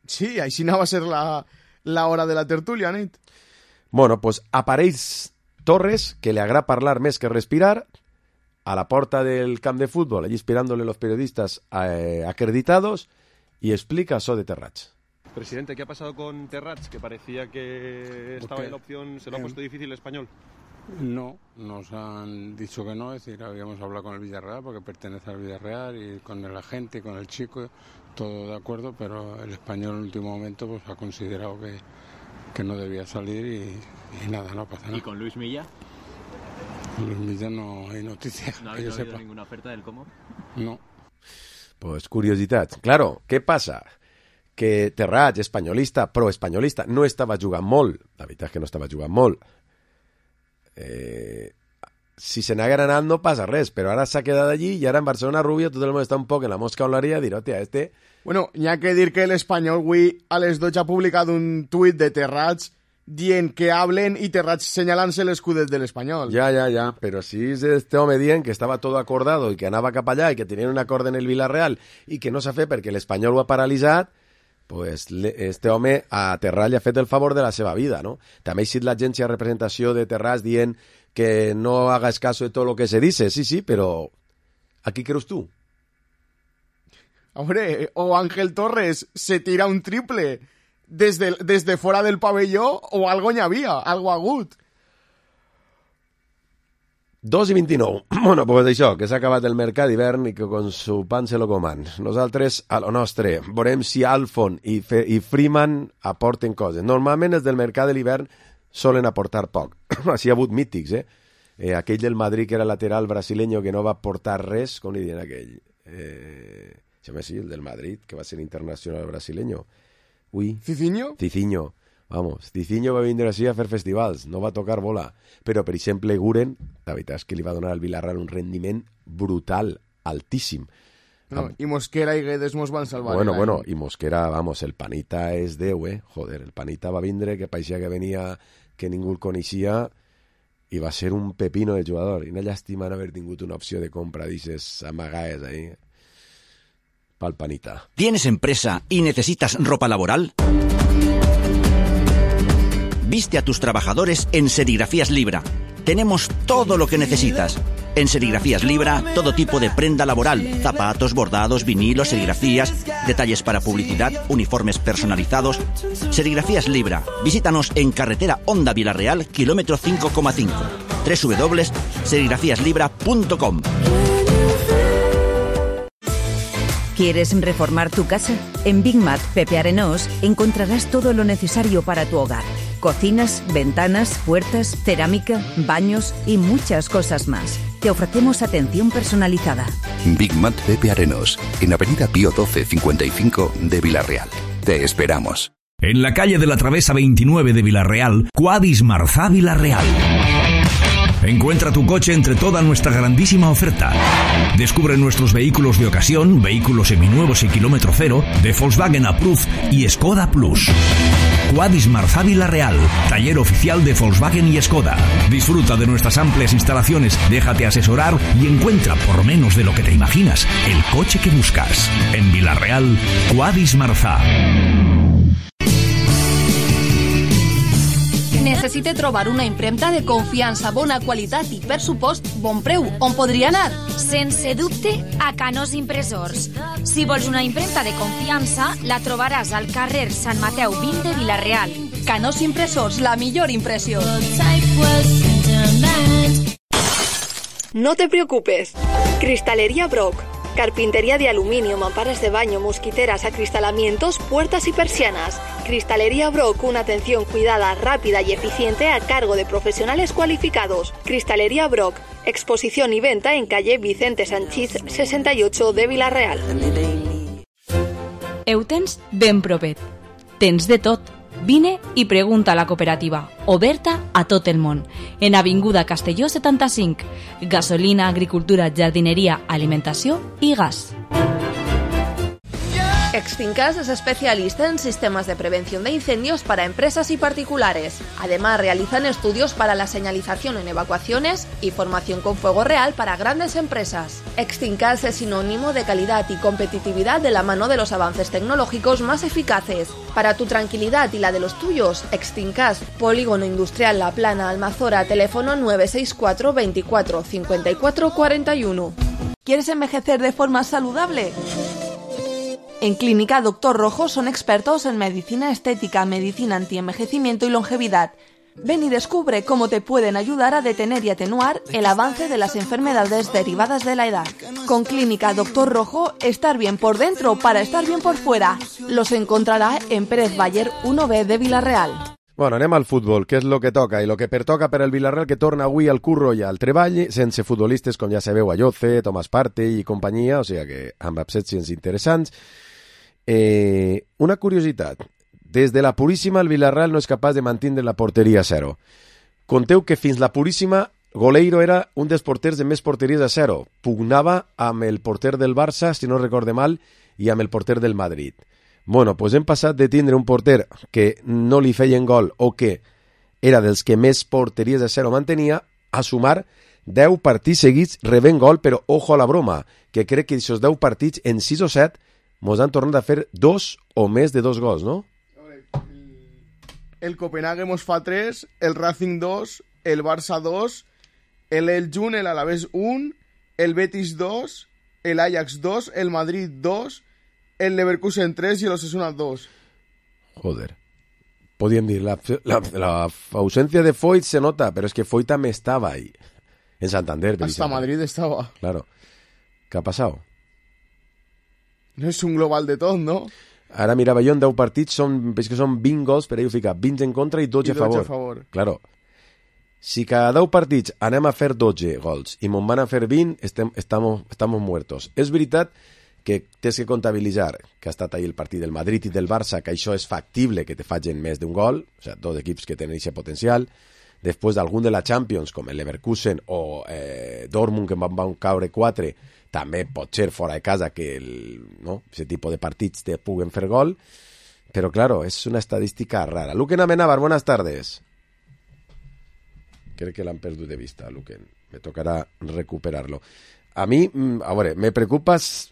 Speaker 6: Sí, així no va ser la, la hora de la tertúlia, nit.
Speaker 4: Bueno, pues apareix Torres, que le agrada parlar més que respirar, a la porta del camp de fútbol, allí esperándole los periodistas eh, acreditados, y explica eso de Terrats.
Speaker 7: Presidente, ¿qué ha pasado con Terrats? Que parecía que estaba en la opción, ¿se lo ha puesto difícil el Español?
Speaker 8: No, nos han dicho que no, es decir, habíamos hablado con el Villarreal porque pertenece al Villarreal y con el agente, con el chico, todo de acuerdo, pero el Español en el último momento pues ha considerado que, que no debía salir y, y nada, no pasa nada.
Speaker 9: ¿Y con Luis Milla?
Speaker 8: Luis Milla no hay noticias.
Speaker 9: ¿No ha habido ninguna oferta del Como?
Speaker 8: No.
Speaker 4: Pues curiositat. Claro, què passa? Que Terrats, espanyolista, pro-espanyolista, no estava jugant molt. La veritat és que no estava jugant molt. Eh, si se n'haguera anat no passa res, però ara s'ha quedat allí i ara en Barcelona Rubio tot el món està un poc en la mosca olaria a dir, hòstia, este...
Speaker 6: Bueno, hi ha que dir que l'Espanyol avui a les dotze ha publicat un tuit de Terrats dient que hablen i Terrats senyalant-se l'escudet de l'Espanyol.
Speaker 4: Ja, ja, ja, però si és este home dient que estava tot acordado i que anava cap allà i que tenien un acord en el Villarreal i que no s'ha fet perquè l'Espanyol ho ha paralitzat, pues este home a Terrats li ha fet el favor de la seva vida, ¿no? També ha sigut l'agència de representació de Terrats dient que no hagas caso de todo lo que se dice, sí, sí, però ¿a qui creus tu?
Speaker 6: Hombre, o Ángel Torres se tira un triple desde, desde fuera del pabelló o algo n'hi havia, algo agut.
Speaker 4: dos i vint-i-nou. Bueno, pues això, que s'ha acabat el mercat d'hivern i que con su pan se lo coman. Nosaltres, a lo nostre, veurem si Alfon i, Fe i Freeman aporten coses. Normalment els del mercat de l'hivern solen aportar poc. Així ha hagut mítics, eh? eh? Aquell del Madrid que era lateral brasileño que no va aportar res, com li diuen aquell? Eh... Xame, sí, el del Madrid, que va ser internacional brasileño. Ui.
Speaker 6: ¿Cicinho?
Speaker 4: Cicinho. Vamos, Cicinho va vindre així a fer festivals, no va tocar bola. Però, per exemple, Guren, la veritat és que li va donar al Villarreal un rendiment brutal, altíssim.
Speaker 6: No, i Mosquera i Guedes mos van salvar.
Speaker 4: Bueno, bueno, i Mosquera, vamos, el Panita és Déu, eh? Joder, el Panita va vindre, que paixia que venia, que ningú el coneixia, i va ser un pepino de jugador. I una llàstima no haver tingut una opció de compra, dices, amagaes ahí. Pal Panita.
Speaker 10: ¿Tienes empresa y necesitas ropa laboral? Viste a tus trabajadores en Serigrafías Libra. Tenemos todo lo que necesitas. En Serigrafías Libra, todo tipo de prenda laboral, zapatos, bordados, vinilos, serigrafías, detalles para publicidad, uniformes personalizados. Serigrafías Libra. Visítanos en carretera Honda Villarreal, kilómetro cinco coma cinco. doble u doble u doble u punto serigrafías libra punto com.
Speaker 11: ¿Quieres reformar tu casa? En Big Mat Pepe Arenós encontrarás todo lo necesario para tu hogar. Cocinas, ventanas, puertas, cerámica, baños y muchas cosas más. Te ofrecemos atención personalizada.
Speaker 12: Big Mat Pepe Arenós, en Avenida Pío doce cincuenta y cinco de Villarreal. Te esperamos.
Speaker 13: En la calle de la Travesa veintinueve de Villarreal, Cuadis Marzá Villarreal. Encuentra tu coche entre toda nuestra grandísima oferta. Descubre nuestros vehículos de ocasión, vehículos seminuevos y kilómetro cero, de Volkswagen Approved y Skoda Plus. Quadis Marzá Vila-real, taller oficial de Volkswagen y Skoda. Disfruta de nuestras amplias instalaciones, déjate asesorar y encuentra, por menos de lo que te imaginas, el coche que buscas. En Vila-real, Quadis Marzá.
Speaker 14: Necessite trobar una impremta de confiança, bona qualitat i, per supost, bon preu. On podria anar?
Speaker 15: Sense dubte, a Canós Impressors. Si vols una impremta de confiança, la trobaràs al carrer Sant Mateu vint de Vila-real.
Speaker 14: Canós Impressors, la millor impressió.
Speaker 16: No te preocupes. Cristalería Brock. Carpintería de aluminio, mamparas de baño, mosquiteras, acristalamientos, puertas y persianas. Cristalería Brock, una atención cuidada, rápida y eficiente a cargo de profesionales cualificados. Cristalería Brock, exposición y venta en calle Vicente Sanchís sesenta y ocho de Vila-real.
Speaker 17: Eutens ben propet. Tens de tot. Vine i pregunta a la cooperativa, oberta a tot el món, en Avinguda Castelló setanta-cinc. Gasolina, agricultura, jardineria, alimentació i gas.
Speaker 14: Extincas es especialista en sistemas de prevención de incendios para empresas y particulares. Además, realizan estudios para la señalización en evacuaciones y formación con fuego real para grandes empresas. Extincas es sinónimo de calidad y competitividad de la mano de los avances tecnológicos más eficaces. Para tu tranquilidad y la de los tuyos, Extincas, Polígono Industrial La Plana, Almazora, teléfono nueve seis cuatro veinticuatro cincuenta y cuatro cuarenta y uno. ¿Quieres envejecer de forma saludable? En Clínica Doctor Rojo son expertos en medicina estética, medicina antienvejecimiento y longevidad. Ven y descubre cómo te pueden ayudar a detener y atenuar el avance de las enfermedades derivadas de la edad. Con Clínica Doctor Rojo, estar bien por dentro para estar bien por fuera. Los encontrarà en Pérez Baller uno B de Vila-real.
Speaker 4: Bueno, anem al futbol, que és el que toca, i el que pertoca per al Villarreal, que torna avui al curro i al treball, sense futbolistes, com ja sabeu, Ayoce, Tomàs Partey i companyia, o sigui que amb absències interessants. Eh, una curiositat, des de la Puríssima el Villarreal no és capaç de mantenir la porteria a zero. Conteu que fins la Puríssima Goleiro era un dels porters de més porteries a zero, pugnava amb el porter del Barça, si no recorde mal, i amb el porter del Madrid. Bueno, doncs hem passat de tindre un porter que no li feien gol o que era dels que més porteries a zero mantenia, a sumar deu partits seguits rebent gol, però ojo a la broma, que crec que aquests deu partits en sis o set mos han tornat a fer dos o més de dos gols, no?
Speaker 6: El Copenhague mos fa tres, el Racing dos, el Barça dos, el Elgin, el Alavés un, el Betis dos, el Ajax dos, el Madrid dos, el Leverkusen tres y el Osasuna dos.
Speaker 4: Joder. Podían decir, la, la, la ausencia de Foyt se nota, pero es que Foyt también estaba ahí. En Santander.
Speaker 6: Hasta Madrid estaba.
Speaker 4: Claro. ¿Qué ha pasado?
Speaker 6: No és un global de tot, no?
Speaker 4: Ara mirava jo en deu partits, són, veig que són vint gols, per ell ho fica vint en contra i dotze,
Speaker 6: I dotze
Speaker 4: a favor.
Speaker 6: a favor.
Speaker 4: Claro. Si cada deu partits anem a fer dotze gols i mon van a fer vint, estem, estamos, estamos muertos. És veritat que tens que comptabilitzar que ha estat ahí el partit del Madrid i del Barça, que això és factible que te facin més d'un gol, o sea, dos equips que tenen aquest potencial. Després d'algun de la Champions, com el Leverkusen o eh, Dortmund, que van, van caure quatre, també pot ser fora de casa que el, no, ese tipo de partits te puguen fer gol, però claro, és una estadística rara. Luquen Amenábar, buenas tardes. Crec que l'han perdut de vista, Luquen. Me tocarà recuperarlo. A mi, a veure, me preocupes...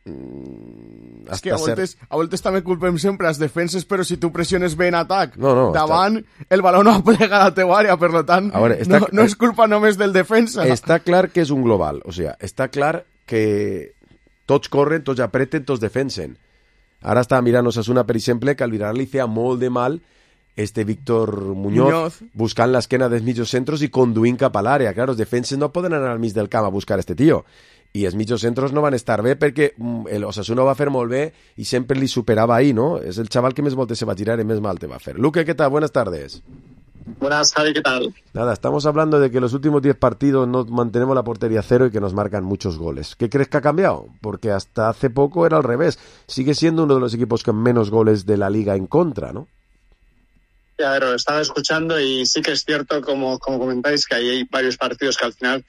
Speaker 6: És que a voltes, a voltes també culpem sempre les defenses, però si tu pressiones bé en atac
Speaker 4: no, no,
Speaker 6: davant,
Speaker 4: està...
Speaker 6: el baló no va plegar a la teva àrea, per tant veure, està... no, no és culpa només del defensa.
Speaker 4: Està clar que és un global, o sigui, està clar que tots corren, tots apreten, tots defensen. Ara estava mirant Osasuna, per exemple, que al Villarreal li feia molt de mal este Víctor Muñoz, Muñoz. buscant l'esquena dels mitjos centros i conduint cap a l'àrea. Clar, els defenses no poden anar al mig del camp a buscar este tio. I els mitjos centros no van estar bé perquè el Osasuna ho va fer molt bé i sempre li superava ahí, ¿no? És el chaval que més voltes se va tirar y més mal te va a hacer. Luque, ¿qué tal? Buenas tardes.
Speaker 18: Buenas, Javi, ¿qué tal?
Speaker 4: Nada, estamos hablando de que los últimos diez partidos no mantenemos la portería cero y que nos marcan muchos goles. ¿Qué crees que ha cambiado? Porque hasta hace poco era al revés. Sigue siendo uno de los equipos con menos goles de la liga en contra, ¿no?
Speaker 18: Ya, pero estaba escuchando y sí que es cierto, como, como comentáis, que ahí hay varios partidos que al final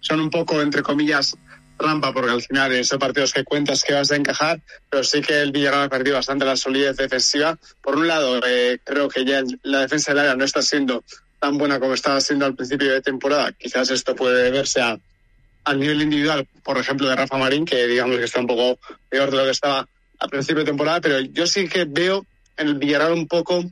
Speaker 18: son un poco, entre comillas, trampa, porque al final esos partidos que cuentas que vas a encajar, pero sí que el Villarreal ha perdido bastante la solidez defensiva. Por un lado, eh, creo que ya la defensa del área no está siendo tan buena como estaba siendo al principio de temporada. Quizás esto puede deberse a, al nivel individual, por ejemplo, de Rafa Marín, que digamos que está un poco peor de lo que estaba al principio de temporada, pero yo sí que veo en el Villarreal un poco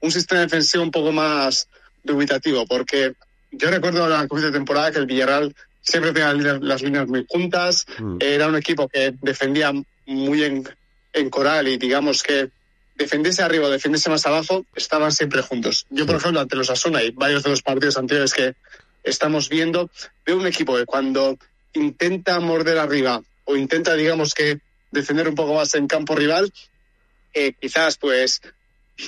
Speaker 18: un sistema defensivo un poco más dubitativo, porque yo recuerdo la comienzo de temporada que el Villarreal siempre tenía las líneas muy juntas, mm. era un equipo que defendía muy en, en coral y digamos que defendiese arriba o defendiese más abajo, estaban siempre juntos. Yo, por ejemplo, ante los Asuna y varios de los partidos anteriores que estamos viendo, veo un equipo que cuando intenta morder arriba o intenta, digamos que, defender un poco más en campo rival, eh, quizás pues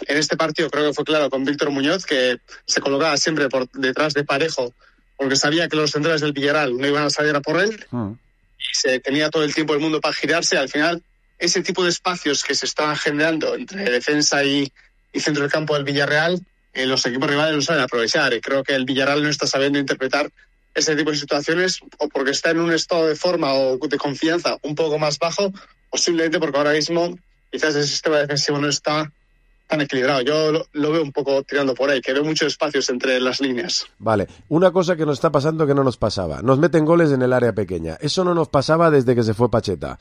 Speaker 18: en este partido creo que fue claro con Víctor Muñoz, que se colocaba siempre por detrás de Parejo, porque sabía que los centrales del Villarreal no iban a salir a por él, mm. y se tenía todo el tiempo del mundo para girarse. Al final, ese tipo de espacios que se estaban generando entre defensa y, y centro del campo del Villarreal, eh, los equipos rivales lo saben aprovechar, y creo que el Villarreal no está sabiendo interpretar ese tipo de situaciones, o porque está en un estado de forma o de confianza un poco más bajo, o simplemente porque ahora mismo quizás el sistema defensivo no está tan equilibrado. Yo lo, lo veo un poco tirando por ahí, que veo muchos espacios entre las líneas.
Speaker 4: Vale, una cosa que nos está pasando que no nos pasaba. Nos meten goles en el área pequeña. Eso no nos pasaba desde que se fue Pacheta.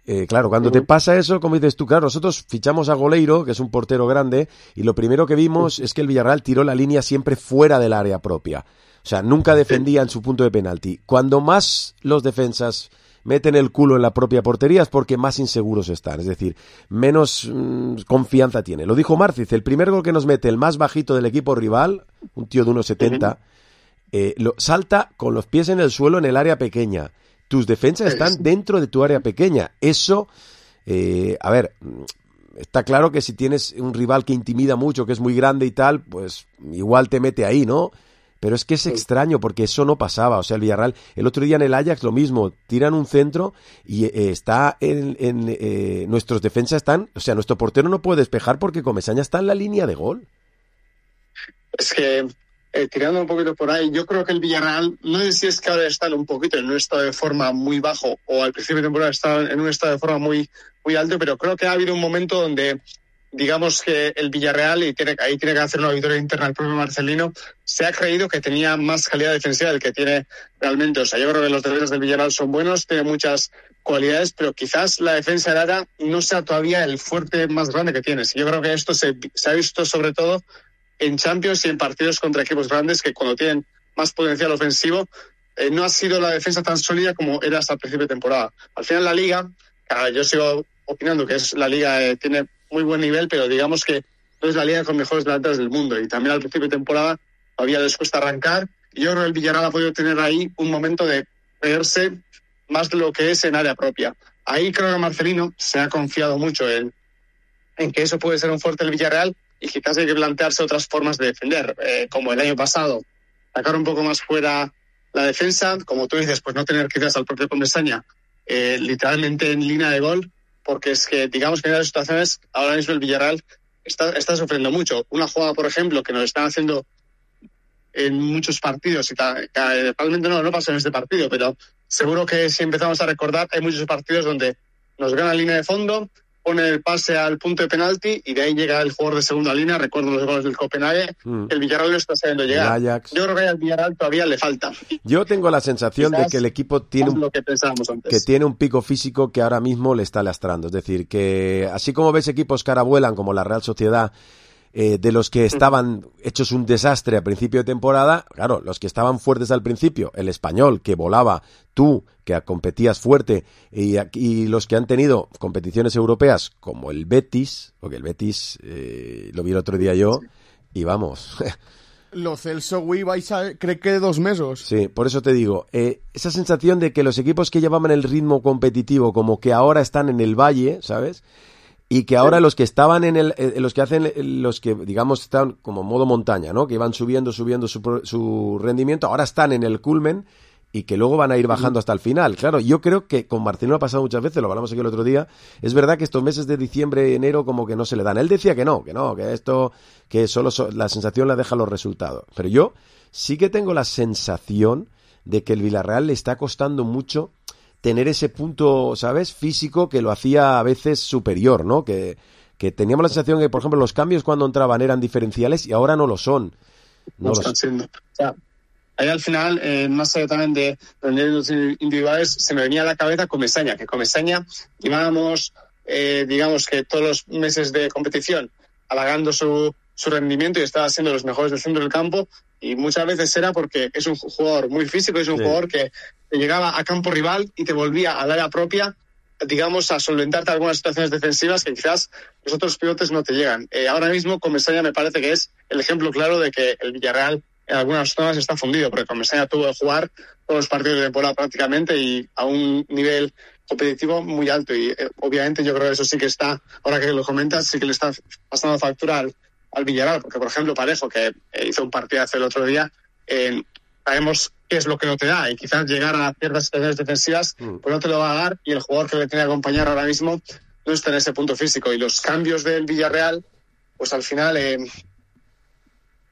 Speaker 4: Eh, claro, cuando uh-huh. te pasa eso, como dices tú, claro, nosotros fichamos a Goleiro, que es un portero grande, y lo primero que vimos uh-huh. es que el Villarreal tiró la línea siempre fuera del área propia. O sea, nunca defendía en su punto de penalti. Cuando más los defensas meten el culo en la propia portería es porque más inseguros están, es decir, menos mmm, confianza tiene. Lo dijo Márciz, el primer gol que nos mete el más bajito del equipo rival, un tío de uno setenta, eh, lo, salta con los pies en el suelo en el área pequeña. Tus defensas están dentro de tu área pequeña. Eso, eh, a ver, está claro que si tienes un rival que intimida mucho, que es muy grande y tal, pues igual te mete ahí, ¿no? Pero es que es extraño porque eso no pasaba. O sea, el Villarreal, el otro día en el Ajax lo mismo, tiran un centro y eh, está en, en eh, nuestros defensas están, o sea, nuestro portero no puede despejar porque Comesaña está en la línea de gol.
Speaker 18: Es que, eh, tirando un poquito por ahí, yo creo que el Villarreal, no sé si es que ahora está un poquito en un estado de forma muy bajo o al principio de temporada está en un estado de forma muy, muy alto, pero creo que ha habido un momento donde digamos que el Villarreal, y tiene, ahí tiene que hacer una auditoría interna el propio Marcelino, se ha creído que tenía más calidad defensiva del que tiene realmente. O sea, yo creo que los defensas del Villarreal son buenos, tienen muchas cualidades, pero quizás la defensa del área no sea todavía el fuerte más grande que tienes. Yo creo que esto se, se ha visto sobre todo en Champions y en partidos contra equipos grandes que cuando tienen más potencial ofensivo, eh, no ha sido la defensa tan sólida como era hasta el principio de temporada. Al final la Liga, claro, yo sigo opinando que es la Liga, eh, tiene muy buen nivel, pero digamos que no es la liga con mejores delanteros del mundo, y también al principio de temporada todavía les cuesta arrancar, y yo creo que el Villarreal ha podido tener ahí un momento de creerse más de lo que es en área propia. Ahí creo que Marcelino se ha confiado mucho en, en que eso puede ser un fuerte del Villarreal, y quizás hay que plantearse otras formas de defender, eh, como el año pasado, sacar un poco más fuera la defensa, como tú dices, pues no tener quizás al propio Comesaña eh, literalmente en línea de gol, porque es que, digamos que en las situaciones, ahora mismo el Villarreal está, está sufriendo mucho. Una jugada, por ejemplo, que nos están haciendo en muchos partidos, y tal, que realmente no, no pasó en este partido, pero seguro que si empezamos a recordar, hay muchos partidos donde nos gana línea de fondo, pone el pase al punto de penalti y de ahí llega el jugador de segunda línea. Recuerdo los goles del Copenhague, mm. el Villarreal no está sabiendo llegar. Yo creo que al Villarreal todavía le falta.
Speaker 4: Yo tengo la sensación Quizás de que el equipo tiene un,
Speaker 18: lo que, pensábamos antes.
Speaker 4: que tiene un pico físico que ahora mismo le está lastrando. Es decir, que así como ves equipos que ahora vuelan como la Real Sociedad, eh, de los que estaban hechos un desastre a principio de temporada, claro, los que estaban fuertes al principio, el Español, que volaba, tú, que competías fuerte, y, y los que han tenido competiciones europeas, como el Betis, porque el Betis eh, lo vi el otro día yo, y vamos...
Speaker 6: Lo Celso, güey, vais a... cree que dos meses.
Speaker 4: Sí, por eso te digo, eh, esa sensación de que los equipos que llevaban el ritmo competitivo como que ahora están en el valle, ¿sabes?, y que ahora los que estaban en el, eh, los que hacen, los que digamos están como modo montaña, ¿no?, que iban subiendo, subiendo su, su rendimiento, ahora están en el culmen y que luego van a ir bajando hasta el final. Claro, yo creo que con Marcelino ha pasado muchas veces, lo hablamos aquí el otro día, es verdad que estos meses de diciembre y enero como que no se le dan. Él decía que no, que no, que esto, que solo so, la sensación la dejan los resultados. Pero yo sí que tengo la sensación de que el Villarreal le está costando mucho tener ese punto, ¿sabes?, físico que lo hacía a veces superior, ¿no? Que, que teníamos la sensación que, por ejemplo, los cambios cuando entraban eran diferenciales y ahora no lo son. No,
Speaker 18: No
Speaker 4: lo
Speaker 18: están
Speaker 4: son.
Speaker 18: siendo. O sea, ahí al final, eh, más allá también de los individuales, se me venía a la cabeza Comesaña, que Comesaña llevábamos, eh, digamos que todos los meses de competición halagando su, su rendimiento y estaba siendo los mejores del centro del campo, y muchas veces era porque es un jugador muy físico, es un
Speaker 4: Sí.
Speaker 18: jugador que te llegaba a campo rival y te volvía al área propia, digamos, a solventarte algunas situaciones defensivas que quizás los otros pivotes no te llegan. Eh, ahora mismo Comesaña me parece que es el ejemplo claro de que el Villarreal en algunas zonas está fundido, porque Comesaña tuvo que jugar todos los partidos de temporada prácticamente y a un nivel competitivo muy alto, y eh, obviamente yo creo que eso sí que está, ahora que lo comentas, sí que le está pasando factura al, al Villarreal, porque por ejemplo Parejo, que eh, hizo un partidazo el otro día, eh, sabemos qué es lo que no te da, y quizás llegar a ciertas situaciones defensivas pues no te lo va a dar, y el jugador que le tiene que acompañar ahora mismo no está en ese punto físico, y los cambios del Villarreal pues al final eh,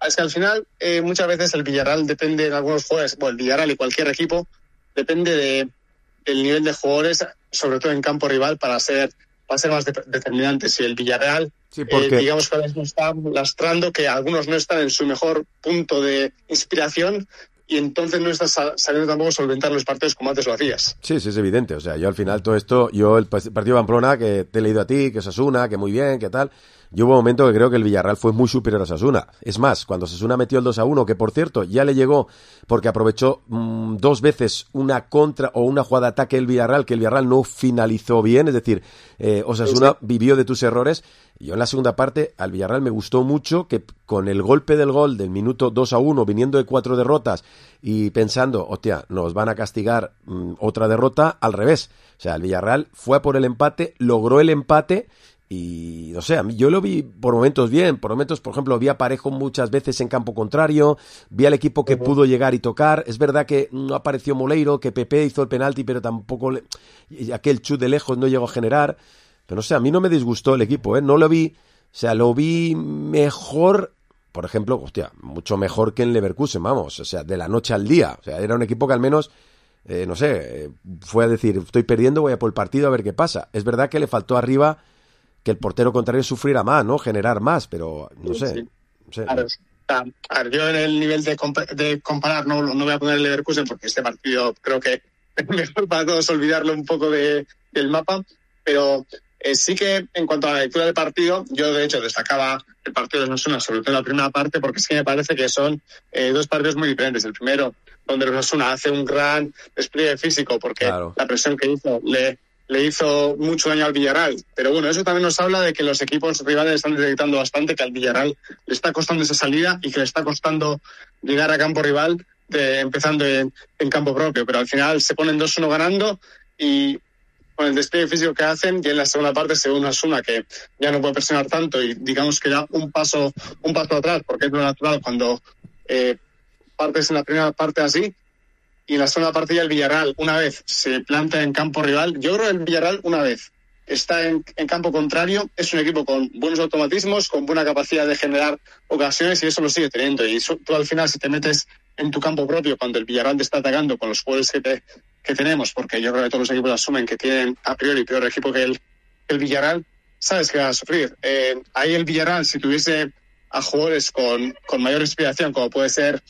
Speaker 18: es que al final eh, muchas veces el Villarreal depende de algunos jugadores, bueno, el Villarreal y cualquier equipo depende de el nivel de jugadores, sobre todo en campo rival, para ser para ser más de, determinantes. Y el Villarreal,
Speaker 4: Sí, porque...
Speaker 18: eh, digamos que ahora mismo está lastrando que algunos no están en su mejor punto de inspiración, y entonces no estás sabiendo tampoco solventar los partidos como antes lo hacías.
Speaker 4: Sí, sí, es evidente. O sea, yo al final todo esto, yo el partido de Pamplona, que te he leído a ti, que Osasuna, que muy bien, que tal, yo hubo un momento que creo que el Villarreal fue muy superior a Osasuna. Es más, cuando Osasuna metió el dos a uno, que por cierto ya le llegó porque aprovechó mmm, dos veces una contra o una jugada de ataque del Villarreal, que el Villarreal no finalizó bien, es decir, eh, Osasuna sí, sí. vivió de tus errores. Yo en la segunda parte al Villarreal me gustó mucho que con el golpe del gol del minuto dos a uno, viniendo de cuatro derrotas y pensando, hostia, nos van a castigar mmm, otra derrota, al revés. O sea, el Villarreal fue a por el empate, logró el empate y, no sé, a mí yo lo vi por momentos bien, por momentos, por ejemplo, vi a Parejo muchas veces en campo contrario, vi al equipo que uh-huh. pudo llegar y tocar. Es verdad que no apareció Moleiro, que Pepe hizo el penalti, pero tampoco le... aquel chut de lejos no llegó a generar. Pero no sé, a mí no me disgustó el equipo, ¿eh? No lo vi, o sea, lo vi mejor, por ejemplo, hostia, mucho mejor que en Leverkusen, vamos, o sea, de la noche al día. O sea, era un equipo que al menos, eh, no sé, eh, fue a decir, estoy perdiendo, voy a por el partido a ver qué pasa. Es verdad que le faltó arriba que el portero contrario sufriera más, ¿no? Generar más, pero no sé.
Speaker 18: Sí.
Speaker 4: No sé.
Speaker 18: Claro, a ver, yo en el nivel de, compa- de comparar no, no voy a poner el Leverkusen porque este partido creo que es mejor para todos olvidarlo un poco de, del mapa, pero... Eh, sí que en cuanto a la lectura del partido, yo de hecho destacaba el partido de Osasuna, sobre todo en la primera parte, porque es que me parece que son eh, dos partidos muy diferentes. El primero, donde Osasuna hace un gran despliegue físico, porque claro. la presión que hizo le, le hizo mucho daño al Villarreal. Pero bueno, eso también nos habla de que los equipos rivales están detectando bastante que al Villarreal le está costando esa salida y que le está costando llegar a campo rival, de, empezando en, en campo propio. Pero al final se ponen dos uno ganando y... con el despliegue físico que hacen, y en la segunda parte se ve una Osasuna que ya no puede presionar tanto y digamos que da un paso un paso atrás, porque es lo natural cuando eh, partes en la primera parte así, y en la segunda parte ya el Villarreal una vez se planta en campo rival. Yo creo que el Villarreal una vez está en, en campo contrario es un equipo con buenos automatismos, con buena capacidad de generar ocasiones, y eso lo sigue teniendo. Y eso, tú al final, si te metes en tu campo propio cuando el Villarreal te está atacando con los jugadores que, te, que tenemos, porque yo creo que todos los equipos asumen que tienen a priori peor equipo que el, el Villarreal, sabes que va a sufrir. Eh, ahí el Villarreal, si tuviese a jugadores con, con mayor inspiración, como puede ser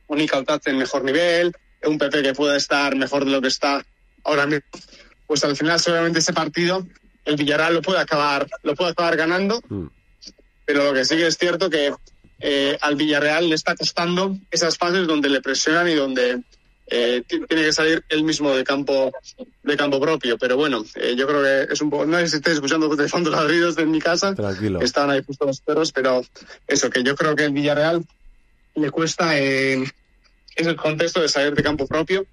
Speaker 18: un Icautat en mejor nivel, un Pepe que pueda estar mejor de lo que está ahora mismo, pues al final seguramente ese partido el Villarreal lo puede acabar lo puede acabar ganando, mm. pero lo que sí que es cierto que eh, al Villarreal le está costando esas fases donde le presionan y donde eh, t- tiene que salir él mismo de campo de campo propio. Pero bueno, eh, yo creo que es un poco, no sé si estáis escuchando de fondo los ruidos de mi casa.
Speaker 4: Tranquilo.
Speaker 18: Estaban ahí justo los perros, pero eso, que yo creo que el Villarreal le cuesta en eh, ese contexto de salir de campo propio,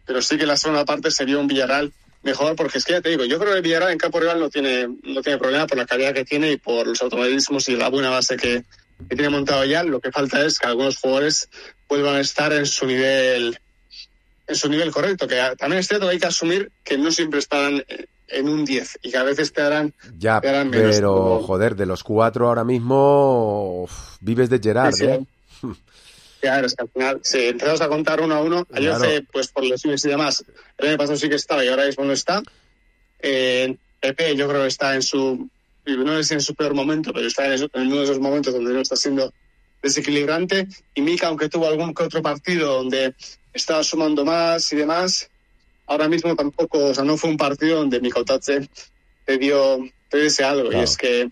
Speaker 18: pero sí que la segunda parte sería un Villarreal mejor, porque es que ya te digo, yo creo que el Villarreal en campo rival no tiene no tiene problema por la calidad que tiene y por los automatismos y la buena base que, que tiene montado ya. Lo que falta es que algunos jugadores vuelvan a estar en su nivel en su nivel correcto, que también es cierto que hay que asumir que no siempre estarán en un diez y que a veces te darán,
Speaker 4: ya,
Speaker 18: te darán menos.
Speaker 4: Pero,
Speaker 18: como...
Speaker 4: joder, de los cuatro ahora mismo uf, vives de Gerard,
Speaker 18: sí, sí.
Speaker 4: ¿eh?
Speaker 18: Claro, es que al final, si empezamos a contar uno a uno, claro. Ayoce, pues por lesiones y demás, el año pasado sí que estaba y ahora mismo no está. Eh, Pepe yo creo que está en su, no es en su peor momento, pero está en, eso, en uno de esos momentos donde no está siendo desequilibrante. Y Mika, aunque tuvo algún que otro partido donde estaba sumando más y demás, ahora mismo tampoco, o sea, no fue un partido donde Mika Otache te dio, te dio ese algo. Claro. Y es que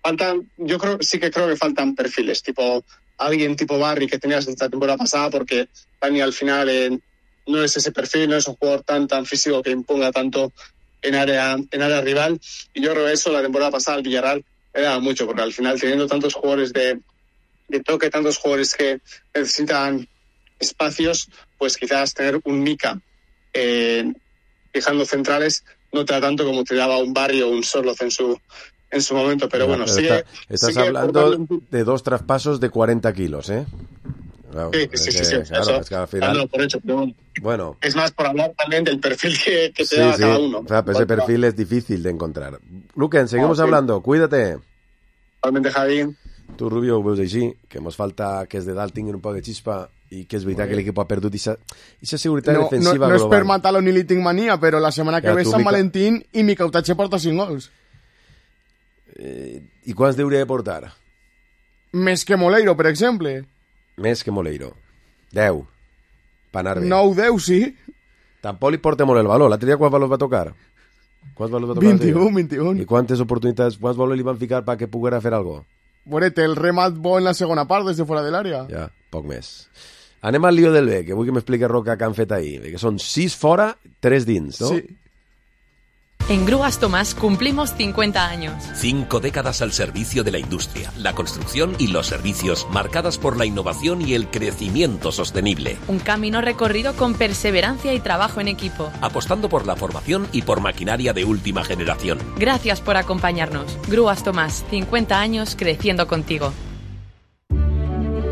Speaker 18: faltan, yo creo, sí que creo que faltan perfiles, tipo alguien tipo Barry que tenías esta temporada pasada, porque Dani al final eh, no es ese perfil, no es un jugador tan tan físico que imponga tanto en área en área rival, y yo creo que eso la temporada pasada al Villarreal era mucho, porque al final teniendo tantos jugadores de, de toque, tantos jugadores que necesitan espacios, pues quizás tener un Mika eh, fijando centrales no te da tanto como te daba un Barry o un Sorloz en su en su momento, pero bueno,
Speaker 4: pero
Speaker 18: sigue,
Speaker 4: está, estás
Speaker 18: sigue
Speaker 4: hablando
Speaker 18: portando...
Speaker 4: de dos traspasos de cuarenta kilos, ¿eh? Claro,
Speaker 18: sí, sí, sí,
Speaker 4: que,
Speaker 18: sí,
Speaker 4: claro,
Speaker 18: eso,
Speaker 4: es que al final...
Speaker 18: por hecho, pero
Speaker 4: bueno,
Speaker 18: es más por hablar también del perfil que, que te
Speaker 4: sí,
Speaker 18: da
Speaker 4: sí.
Speaker 18: cada uno.
Speaker 4: O sea, pues ese perfil es difícil de encontrar. Luquen, seguimos
Speaker 18: ah, sí.
Speaker 4: hablando, cuídate.
Speaker 18: Igualmente, Javi.
Speaker 4: Tu, Rubio, ho veus així, que ens falta que els de dalt tinguin un poc de xispa i que és veritat que l'equip ha perdut aquesta seguretat
Speaker 6: no,
Speaker 4: defensiva
Speaker 6: no, no
Speaker 4: global.
Speaker 6: és per matar-lo ni li tinc mania, però la setmana que
Speaker 4: ja,
Speaker 6: ve Sant
Speaker 4: Mica...
Speaker 6: Valentín i Mika Otache porta cinc gols.
Speaker 4: Eh, I quants hauria de portar?
Speaker 6: Més que Moleiro, per exemple.
Speaker 4: Més que Moleiro. deu. Per anar bé.
Speaker 6: nou deu, sí.
Speaker 4: Tampoc li porta molt el valor. L'altre dia quants valors va tocar? Quants valors va tocar?
Speaker 6: vint-i-un, vint-i-un.
Speaker 4: I quantes oportunitats, quants valors li van ficar perquè poguera fer alguna cosa?
Speaker 6: Bueno, té el remat bo en la segona part des de fora de l'àrea.
Speaker 4: Ja, poc més. Anem al lío del B, que vull que m'expliqui Roca què han fet ahir. Que són sis fora, tres dins, ¿no?
Speaker 6: Sí.
Speaker 19: En Grúas Tomás cumplimos cincuenta años.
Speaker 20: Cinco décadas al servicio de la industria, la construcción y los servicios, marcadas por la innovación y el crecimiento sostenible.
Speaker 19: Un camino recorrido con perseverancia y trabajo en equipo.
Speaker 20: Apostando por la formación y por maquinaria de última generación.
Speaker 19: Gracias por acompañarnos. Grúas Tomás, cincuenta años creciendo contigo.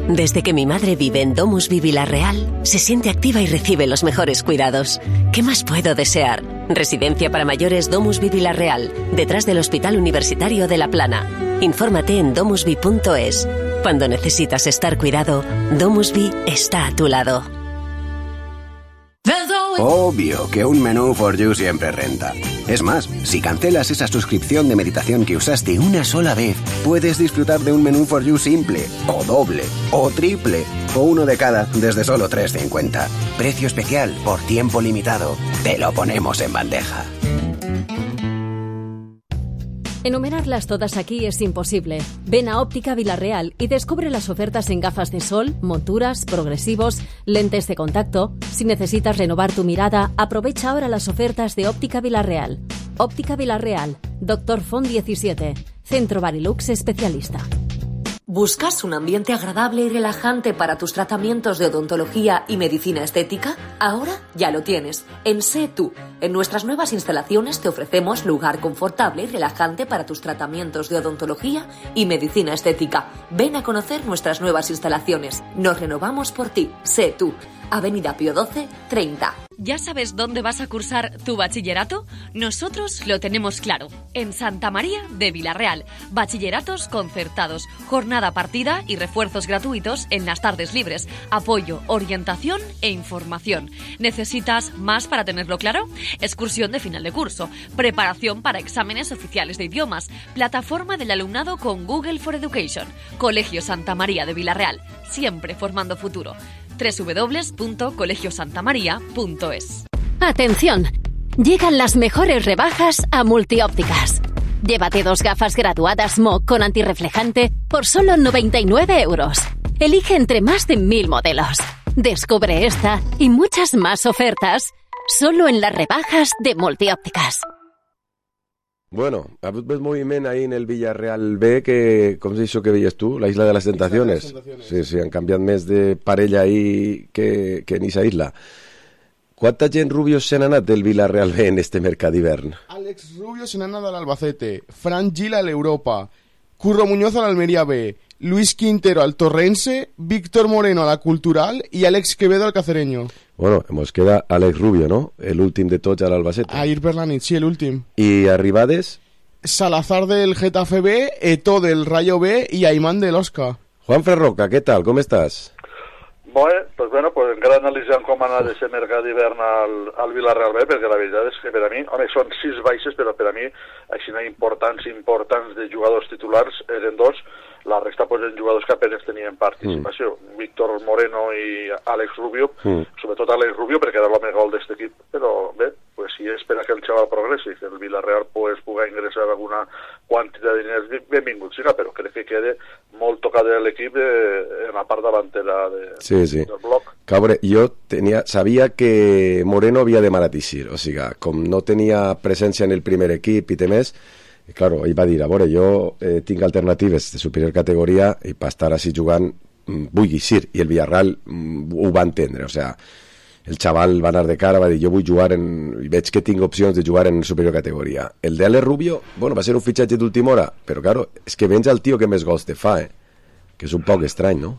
Speaker 21: Desde que mi madre vive en Domusvi Vilarreal, se siente activa y recibe los mejores cuidados. ¿Qué más puedo desear? Residencia para mayores Domusvi Vilarreal, detrás del Hospital Universitario de La Plana. Infórmate en domusvi punto es. Cuando necesitas estar cuidado, Domusvi está a tu lado.
Speaker 22: Obvio que un menú for you siempre renta. Es más, si cancelas esa suscripción de meditación que usaste una sola vez, puedes disfrutar de un menú for you simple, o doble, o triple, o uno de cada desde solo tres cincuenta. Precio especial por tiempo limitado. Te lo ponemos en bandeja.
Speaker 23: Enumerarlas todas aquí es imposible. Ven a Óptica Vilarreal y descubre las ofertas en gafas de sol, monturas, progresivos, lentes de contacto. Si necesitas renovar tu mirada, aprovecha ahora las ofertas de Óptica Vilarreal. Óptica Vilarreal, Doctor Font diecisiete, Centro Barilux especialista.
Speaker 24: ¿Buscas un ambiente agradable y relajante para tus tratamientos de odontología y medicina estética? Ahora ya lo tienes. En Sé Tú. En nuestras nuevas instalaciones te ofrecemos lugar confortable y relajante para tus tratamientos de odontología y medicina estética. Ven a conocer nuestras nuevas instalaciones. Nos renovamos por ti. Sé Tú. Avenida Pío doce, treinta.
Speaker 25: ¿Ya sabes dónde vas a cursar tu bachillerato? Nosotros lo tenemos claro. En Santa María de Vilarreal. Bachilleratos concertados, jornada partida y refuerzos gratuitos en las tardes libres. Apoyo, orientación e información. ¿Necesitas más para tenerlo claro? Excursión de final de curso, preparación para exámenes oficiales de idiomas, plataforma del alumnado con Google for Education. Colegio Santa María de Vilarreal, siempre formando futuro. doble u doble u doble u punto colegio santa maría punto es.
Speaker 23: ¡Atención! Llegan las mejores rebajas a Multiópticas. Llévate dos gafas graduadas M O con antirreflejante por solo noventa y nueve euros. Elige entre más de mil modelos. Descubre esta y muchas más ofertas solo en las rebajas de Multiópticas.
Speaker 4: Bueno, ves moviment ahí en el Villarreal B que, com és això que veies tu? La Isla de les Tentaciones. Sí, sí, han canviat més de parella ahí que, que en esa isla. Quanta gent rubios se n'ha anat del Villarreal B en este mercat d'hivern?
Speaker 6: Àlex Rubio se n'ha anat a l'Albacete, Fran Gil a l'Europa, Curro Muñoz a l'Almería B, Luis Quintero al Torrense, Víctor Moreno a la Cultural y Alex Quevedo al Cacereño.
Speaker 4: Bueno, nos queda Alex Rubio, ¿no? El últim de tots a l'Albacete.
Speaker 6: Ahir per la nit, sí, l'últim.
Speaker 4: I arribades?
Speaker 6: Salazar del Getafe B, Eto'o del Rayo B y Aimán del Osca.
Speaker 4: Juan Ferroca, ¿qué tal? ¿Cómo estás?
Speaker 1: Bueno, pues bueno, pues encara analitzant com ha anat aquest mercat d'hivern al, al Villarreal B, perquè la veritat és que per a mi, home, són sis baixes, però per a mi, així importants, importants de jugadors titulars eren dos, la resta pues, eren jugadors que apenas tenien participació. Mm. Víctor Moreno i Alex Rubio, mm. sobretot Alex Rubio, perquè era l'home gol d'aquest equip, però bé, pues si espera que el xaval progressi, que el Villarreal pues, pugui ingressar alguna quantitat de diners, benvingut siga, però crec que quede molt tocat l'equip eh, en la part davantera de,
Speaker 4: sí, sí.
Speaker 1: del bloc.
Speaker 4: Cabre, jo tenia, sabia que Moreno havia de maratissir, o sigui, com no tenia presència en el primer equip i temés, claro, ell va dir, a veure, jo eh, tinc alternatives de superior categoria i per estar així jugant vull guixir, i el Villarreal mm, ho va entendre, o sigui, el xaval va anar de cara, va dir, jo vull jugar en... i veig que tinc opcions de jugar en superior categoria. El de Alex Rubio, bueno, va ser un fitxatge d'última hora, però claro, és que vens al tio que més gols te fa, eh? Que és un poc estrany, no?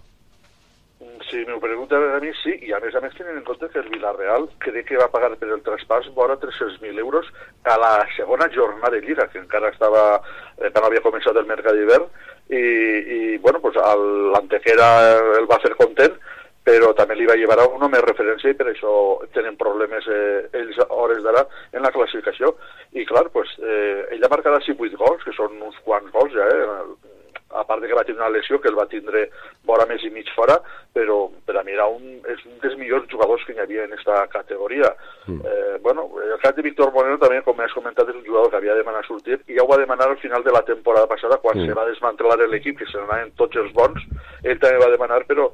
Speaker 1: Si m'ho pregunta a mi, sí, i a més a més tenen en compte que el Villarreal crec que va pagar per el traspàs vora tres-cents mil euros a la segona jornada de Lliga, que encara estava, eh, que no havia començat el mercat d'hivern, i, i bueno, pues l'Antequera el va fer content, però també li va llevar a una més referència i per això tenen problemes eh, ells a hores d'ara en la classificació. I clar, pues, eh, ell ha marcat així vuit gols, que són uns quants gols ja, eh? A part de que va tenir una lesió que el va tindre vora més i mig fora, però per a mi era un, és un dels millors jugadors que hi havia en aquesta categoria. Mm. Eh, bueno, el cas de Víctor Moreno també, com has comentat, és un jugador que havia de demanar sortir, i ja ho va demanar al final de la temporada passada, quan mm. se va desmantelar l'equip, que se n'anaven tots els bons, ell també va demanar, però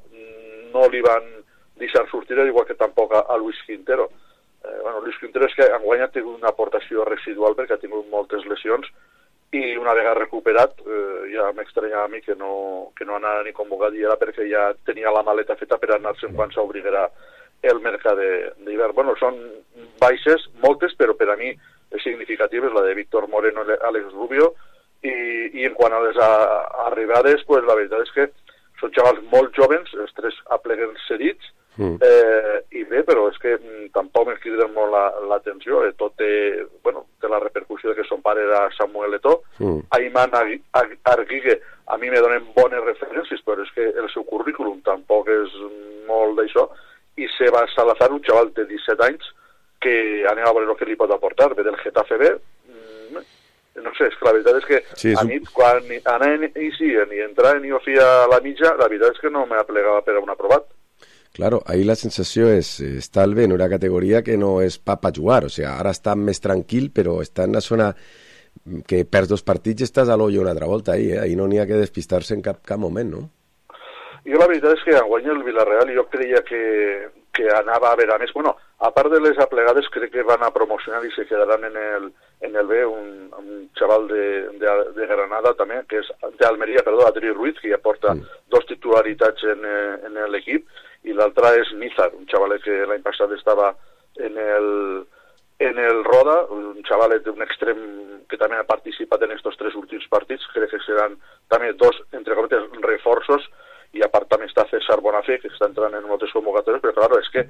Speaker 1: no li van deixar sortir, igual que tampoc a, a Luis Quintero. Eh, bueno, Luis Quintero és que enguany ha tingut una aportació residual perquè ha tingut moltes lesions, i una vegada recuperat, eh, ja m'estranyava a mi que no, que no anava ni convocat, i era perquè ja tenia la maleta feta per anar-se'n quan s'obriguera el mercat d'hivern. Bueno, són baixes, moltes, però per a mi és significatives, la de Víctor Moreno i Alex Rubio, i, i en quant a les a, arribades, pues, la veritat és que són xavals molt jovens, els tres apleguen cedits, mm. eh, i bé, però és que mm, tampoc m'hi criden molt l'atenció, la, eh, tot té, bueno, té la repercussió de que son pare era Samuel Eto'o, mm. Ayman Arguigue, a mi me donen bones referències, però és que el seu currículum tampoc és molt d'això, i Seba Salazar, un xaval de disset anys, que anem a veure el que li pot aportar, ve del Getafe B, mm, no sé, és que la veritat és que sí, és a mi, un... quan anaven i siguen i entraven i ho feia a la mitja, la veritat és que no m'ha plegat per a un aprovat.
Speaker 4: Claro, ahí la sensació és, està al bé en una categoria que no és pa pa jugar, o sigui, ara està més tranquil, però està en una zona que perds dos partits i estàs a l'ollo una altra volta ahí, eh? Ahí no n'hi ha que despistar-se en cap, cap moment, no?
Speaker 1: Jo la veritat és que enguany el Villarreal jo creia que, que anava a veure, a més, bueno, a part de les aplegades crec que van a promocionar i se quedaran en el, en el B un, un xaval de, de, de Granada també, que és d'Almeria, perdó, Adri Ruiz, que ja porta mm. dos titularitats en, en l'equip, i l'altre és Nizar, un xavalet que l'any passat estava en el, en el Roda, un xavalet d'un extrem que també ha participat en aquests tres últims partits, crec que seran també dos, entre cometes, reforços, i a part també està César Bonafé, que està entrant en moltes convocatòries, però clar, és que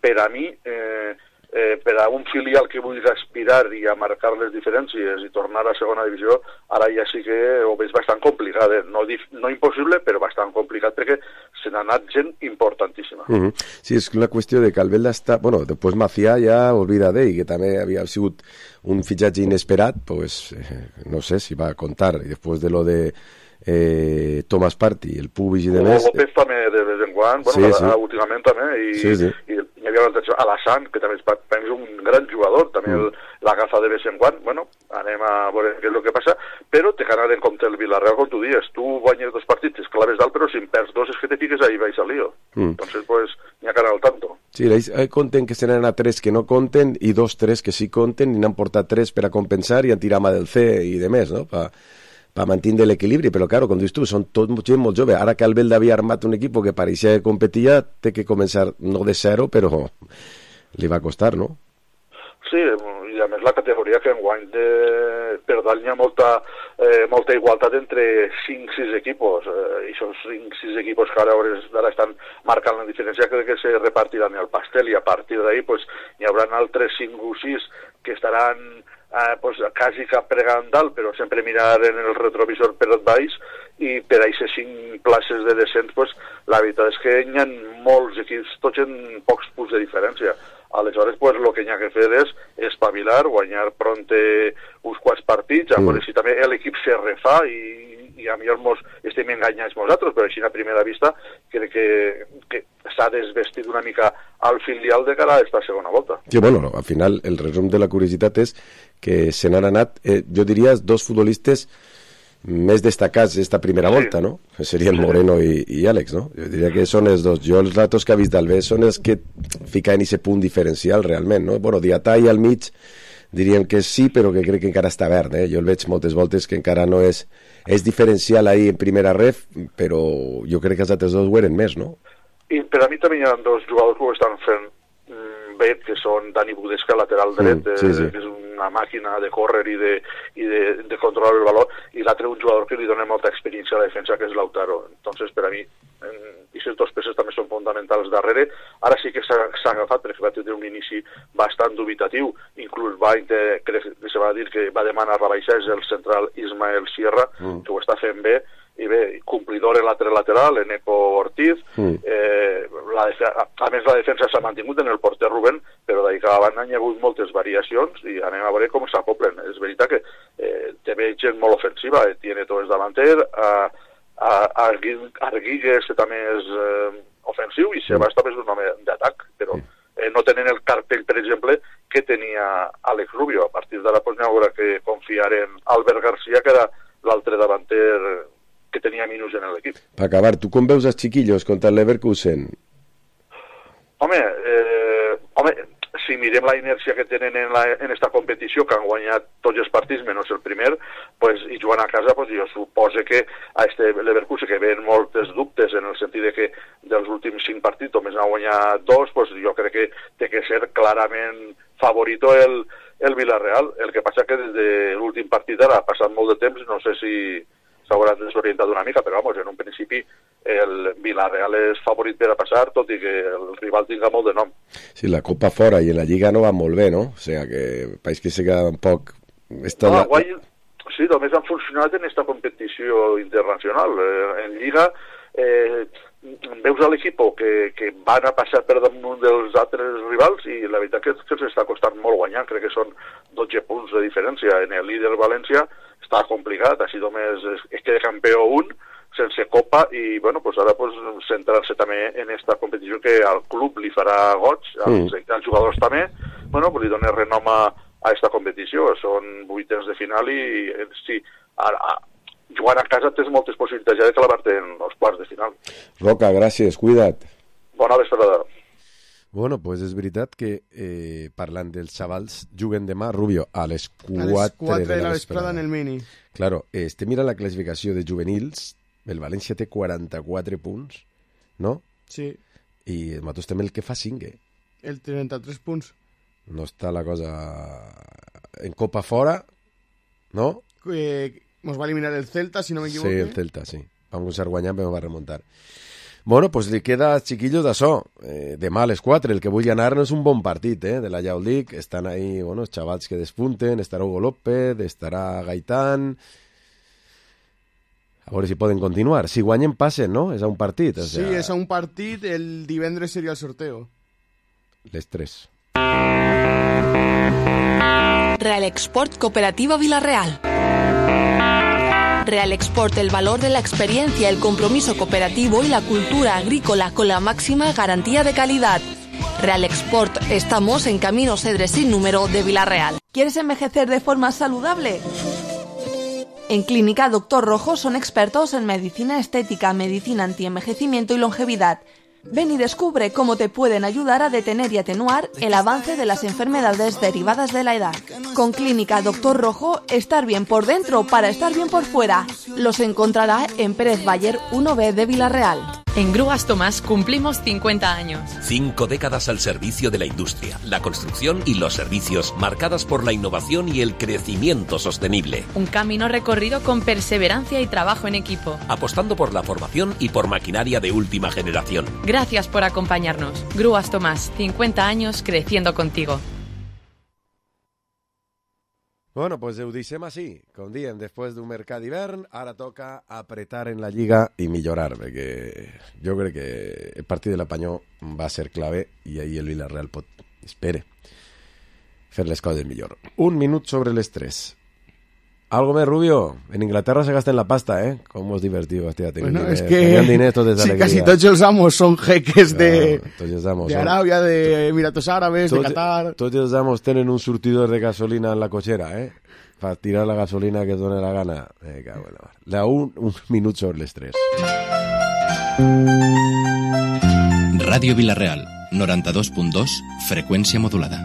Speaker 1: per a mi, eh, eh, per a un filial que vulgui aspirar i a marcar les diferències i tornar a segona divisió, ara ja sí que ho veig bastant complicat, eh? no, no impossible, però bastant complicat, perquè se n'ha anat gent importantíssima.
Speaker 4: Uh -huh. Sí, és una qüestió de que Albelda està... Bueno, després Macià ja olvida d'ell, que també havia sigut un fitxatge inesperat, pues, eh, no sé si va a contar, i després de lo de eh, Thomas Partey, el Puig i de més...
Speaker 1: López també de vez en quan, bueno, sí, sí. últimament també, i, sí, sí. i, i hi havia l'atenció a Alassane, que també és, és un gran jugador, també mm. l'agafa de vez en quan, bueno, anem a veure què és el que passa, però té que anar en compte el Villarreal, com tu dius, tu guanyes dos partits, és claves dalt, però si en perds dos és que te piques ahí vais al lío. Mm. Entonces, pues, n'hi ha que anar al tanto.
Speaker 4: Sí, ells conten que se n'han a tres que no conten i dos, tres que sí conten, i n'han portat tres per a compensar i han tirat mà del C i de més, no?, pa per mantenir l'equilibri, però claro, com dius tu, són tot gent molt jove. Ara que Albelda havia armat un equip que pareixia que competia, té que començar no de zero, però li va costar, no?
Speaker 1: Sí, i a més la categoria que enguany de, per dalt hi ha molta, eh, molta igualtat entre cinc sis equipos, eh, i aquests cinc sis equipos que ara d'ara estan marcant la diferència, crec que se repartiran el pastel, i a partir d'ahí pues, hi haurà altres cinc o sis que estaran eh, pues, quasi cap pregant dalt, però sempre mirar en el retrovisor per baix, i per a aquestes cinc places de descens, pues, la veritat és que hi ha molts equips, tots en pocs punts de diferència. Aleshores, pues, el que hi ha que fer és espavilar, guanyar pronte uns quants partits, a veure si també l'equip se refà i, i a millor mos estem enganyats nosaltres, però així a primera vista crec que, que s'ha desvestit una mica al filial de cara a esta segona volta.
Speaker 4: Sí, bueno, al final el resum de la curiositat és que se n'han anat, eh, jo diria, dos futbolistes més destacats d'esta primera volta, sí. No? Que serien Moreno i, i Àlex, no? Jo diria que són els dos. Jo els datos que he vist d'Albé són els que fiquen aquest punt diferencial realment, no? Bueno, Diatà i al mig diríem que sí, però que crec que encara està verd, eh? Jo el veig moltes voltes que encara no és... És diferencial ahí en primera ref, però jo crec que els altres dos ho eren més, no?
Speaker 1: I per a mi també hi ha dos jugadors que ho estan fent bé, que són Dani Budesca, lateral dret, mm, sí, sí. Eh, que és una màquina de córrer i de, i de, de controlar el valor, i l'altre un jugador que li dona molta experiència a la defensa, que és Lautaro. Entonces, per a mi, aquestes dues peces també són fonamentals darrere. Ara sí que s'ha agafat, perquè va tenir un inici bastant dubitatiu, inclús va, crec que se va dir que va demanar rebaixar, és el central Ismael Sierra, mm. que ho està fent bé, i bé, complidor en l'altre lateral, en Eco Ortiz, mm. eh, la a més la defensa s'ha mantingut en el porter Rubén, però d'ahir cada banda hi ha hagut moltes variacions i anem a veure com s'acoplen. És veritat que eh, té gent molt ofensiva, eh, tiene tot el davanter, a, a, a Arguigues també és eh, ofensiu i Sebas també és un home d'atac, però eh, no tenen el cartell, per exemple, que tenia Àlex Rubio. A partir d'ara pues, n'hi haurà que confiar en Albert García, que era l'altre davanter que tenia minus en l'equip.
Speaker 4: Per acabar, tu com veus els xiquillos contra el Leverkusen?
Speaker 1: Home, eh, home, si mirem la inèrcia que tenen en, la, en esta competició, que han guanyat tots els partits menys el primer, pues, i jugant a casa, pues, jo suposo que a este Leverkusen, que ven moltes dubtes en el sentit de que dels últims cinc partits només n'ha guanyat dos, pues, jo crec que té que ser clarament favorito el, el Villarreal. El que passa que des de l'últim partit ara ha passat molt de temps, no sé si s'hauran desorientat una mica, però vamos, en un principi el Villarreal és favorit per a passar, tot i que el rival tinga molt de nom.
Speaker 4: Sí, la Copa fora i en la Lliga no va molt bé, no? O sigui, que país que se queda un poc...
Speaker 1: No, la... guai, sí, només han funcionat en aquesta competició internacional. Eh, en Lliga eh, veus a l'equip que, que van a passar per damunt dels altres rivals i la veritat que, que s'està costant molt guanyar, crec que són dotze punts de diferència. En el líder València està complicat, així només es, es queda campió un, sense copa, i bueno, pues ara pues, centrar-se també en esta competició que al club li farà goig, als, mm. als jugadors també, bueno, pues li dona renom a, a esta competició. Són vuitens de final i sí, a, a, jugant a casa tens moltes possibilitats ja de clavar-te en els quarts de final.
Speaker 4: Roca, gràcies, cuida't.
Speaker 1: Bona vesprada.
Speaker 4: Bueno, pues és veritat que eh, parlant dels xavals juguen demà, Rubio, a les
Speaker 6: quatre de la vesprada en el Mini.
Speaker 4: Claro, este mira la classificació de juvenils, el València té quaranta-quatre punts, no?
Speaker 6: Sí.
Speaker 4: I el Matos també el que fa cinc, eh?
Speaker 6: El trenta-tres punts.
Speaker 4: No està la cosa en Copa fora, no?
Speaker 6: Eh, nos va eliminar el Celta, si no m'equivoco.
Speaker 4: Sí, el Celta, sí. Vam començar guanyant, però va remuntar. Bueno, pues li queda als chiquillos d'això. Eh, demà a les quatre, el que vulgui anar no és un bon partit, eh, de la Yaulic. Estan ahí, bueno, els xavals que despunten, estarà Hugo López, estarà Gaitán. A veure si poden continuar. Si guanyen, passen, no? És a un partit. O sea...
Speaker 6: Sí, és a un partit. El divendres seria el sorteo.
Speaker 4: Les tres.
Speaker 14: Real Export Cooperativa Villarreal. Real Export, el valor de la experiencia, el compromiso cooperativo y la cultura agrícola con la máxima garantía de calidad. Real Export, estamos en Camino Cedres sin número de Villarreal. ¿Quieres envejecer de forma saludable? En Clínica Doctor Rojo son expertos en medicina estética, medicina antienvejecimiento y longevidad. Ven y descubre cómo te pueden ayudar a detener y atenuar el avance de las enfermedades derivadas de la edad. Con Clínica Doctor Rojo, estar bien por dentro para estar bien por fuera. Los encontrará en Pérez Bayer uno B de Villarreal.
Speaker 19: En Grúas Tomás cumplimos cincuenta años.
Speaker 20: Cinco décadas al servicio de la industria, la construcción y los servicios, marcadas por la innovación y el crecimiento sostenible.
Speaker 19: Un camino recorrido con perseverancia y trabajo en equipo.
Speaker 20: Apostando por la formación y por maquinaria de última generación.
Speaker 19: Gracias por acompañarnos. Grúas Tomás, cincuenta años creciendo contigo.
Speaker 4: Bueno, pues ho deixem així, com diem, després d'un mercat d'hivern, ara toca apretar en la Lliga i millorar, perquè jo crec que el partit de l'Apanyó va ser clave i ahir el Villarreal pot, espere, fer les coses millor. Un minut sobre les tres. Algo més, Rubio. En Inglaterra se gasten la pasta, ¿eh? Cómo es divertido. Hostia,
Speaker 6: bueno, es que
Speaker 4: dinero, todo
Speaker 6: si casi todos los amos son jeques de,
Speaker 4: no,
Speaker 6: de Arabia, de Emiratos Árabes,
Speaker 4: tots,
Speaker 6: de Qatar.
Speaker 4: Tots els amos tenen un surtidor de gasolina en la cochera, ¿eh? Para tirar la gasolina que done la gana. Eh, cago en la mar. La un, un minut sobre les tres.
Speaker 2: Ràdio Vilareal, noranta-dos punt dos, freqüència modulada.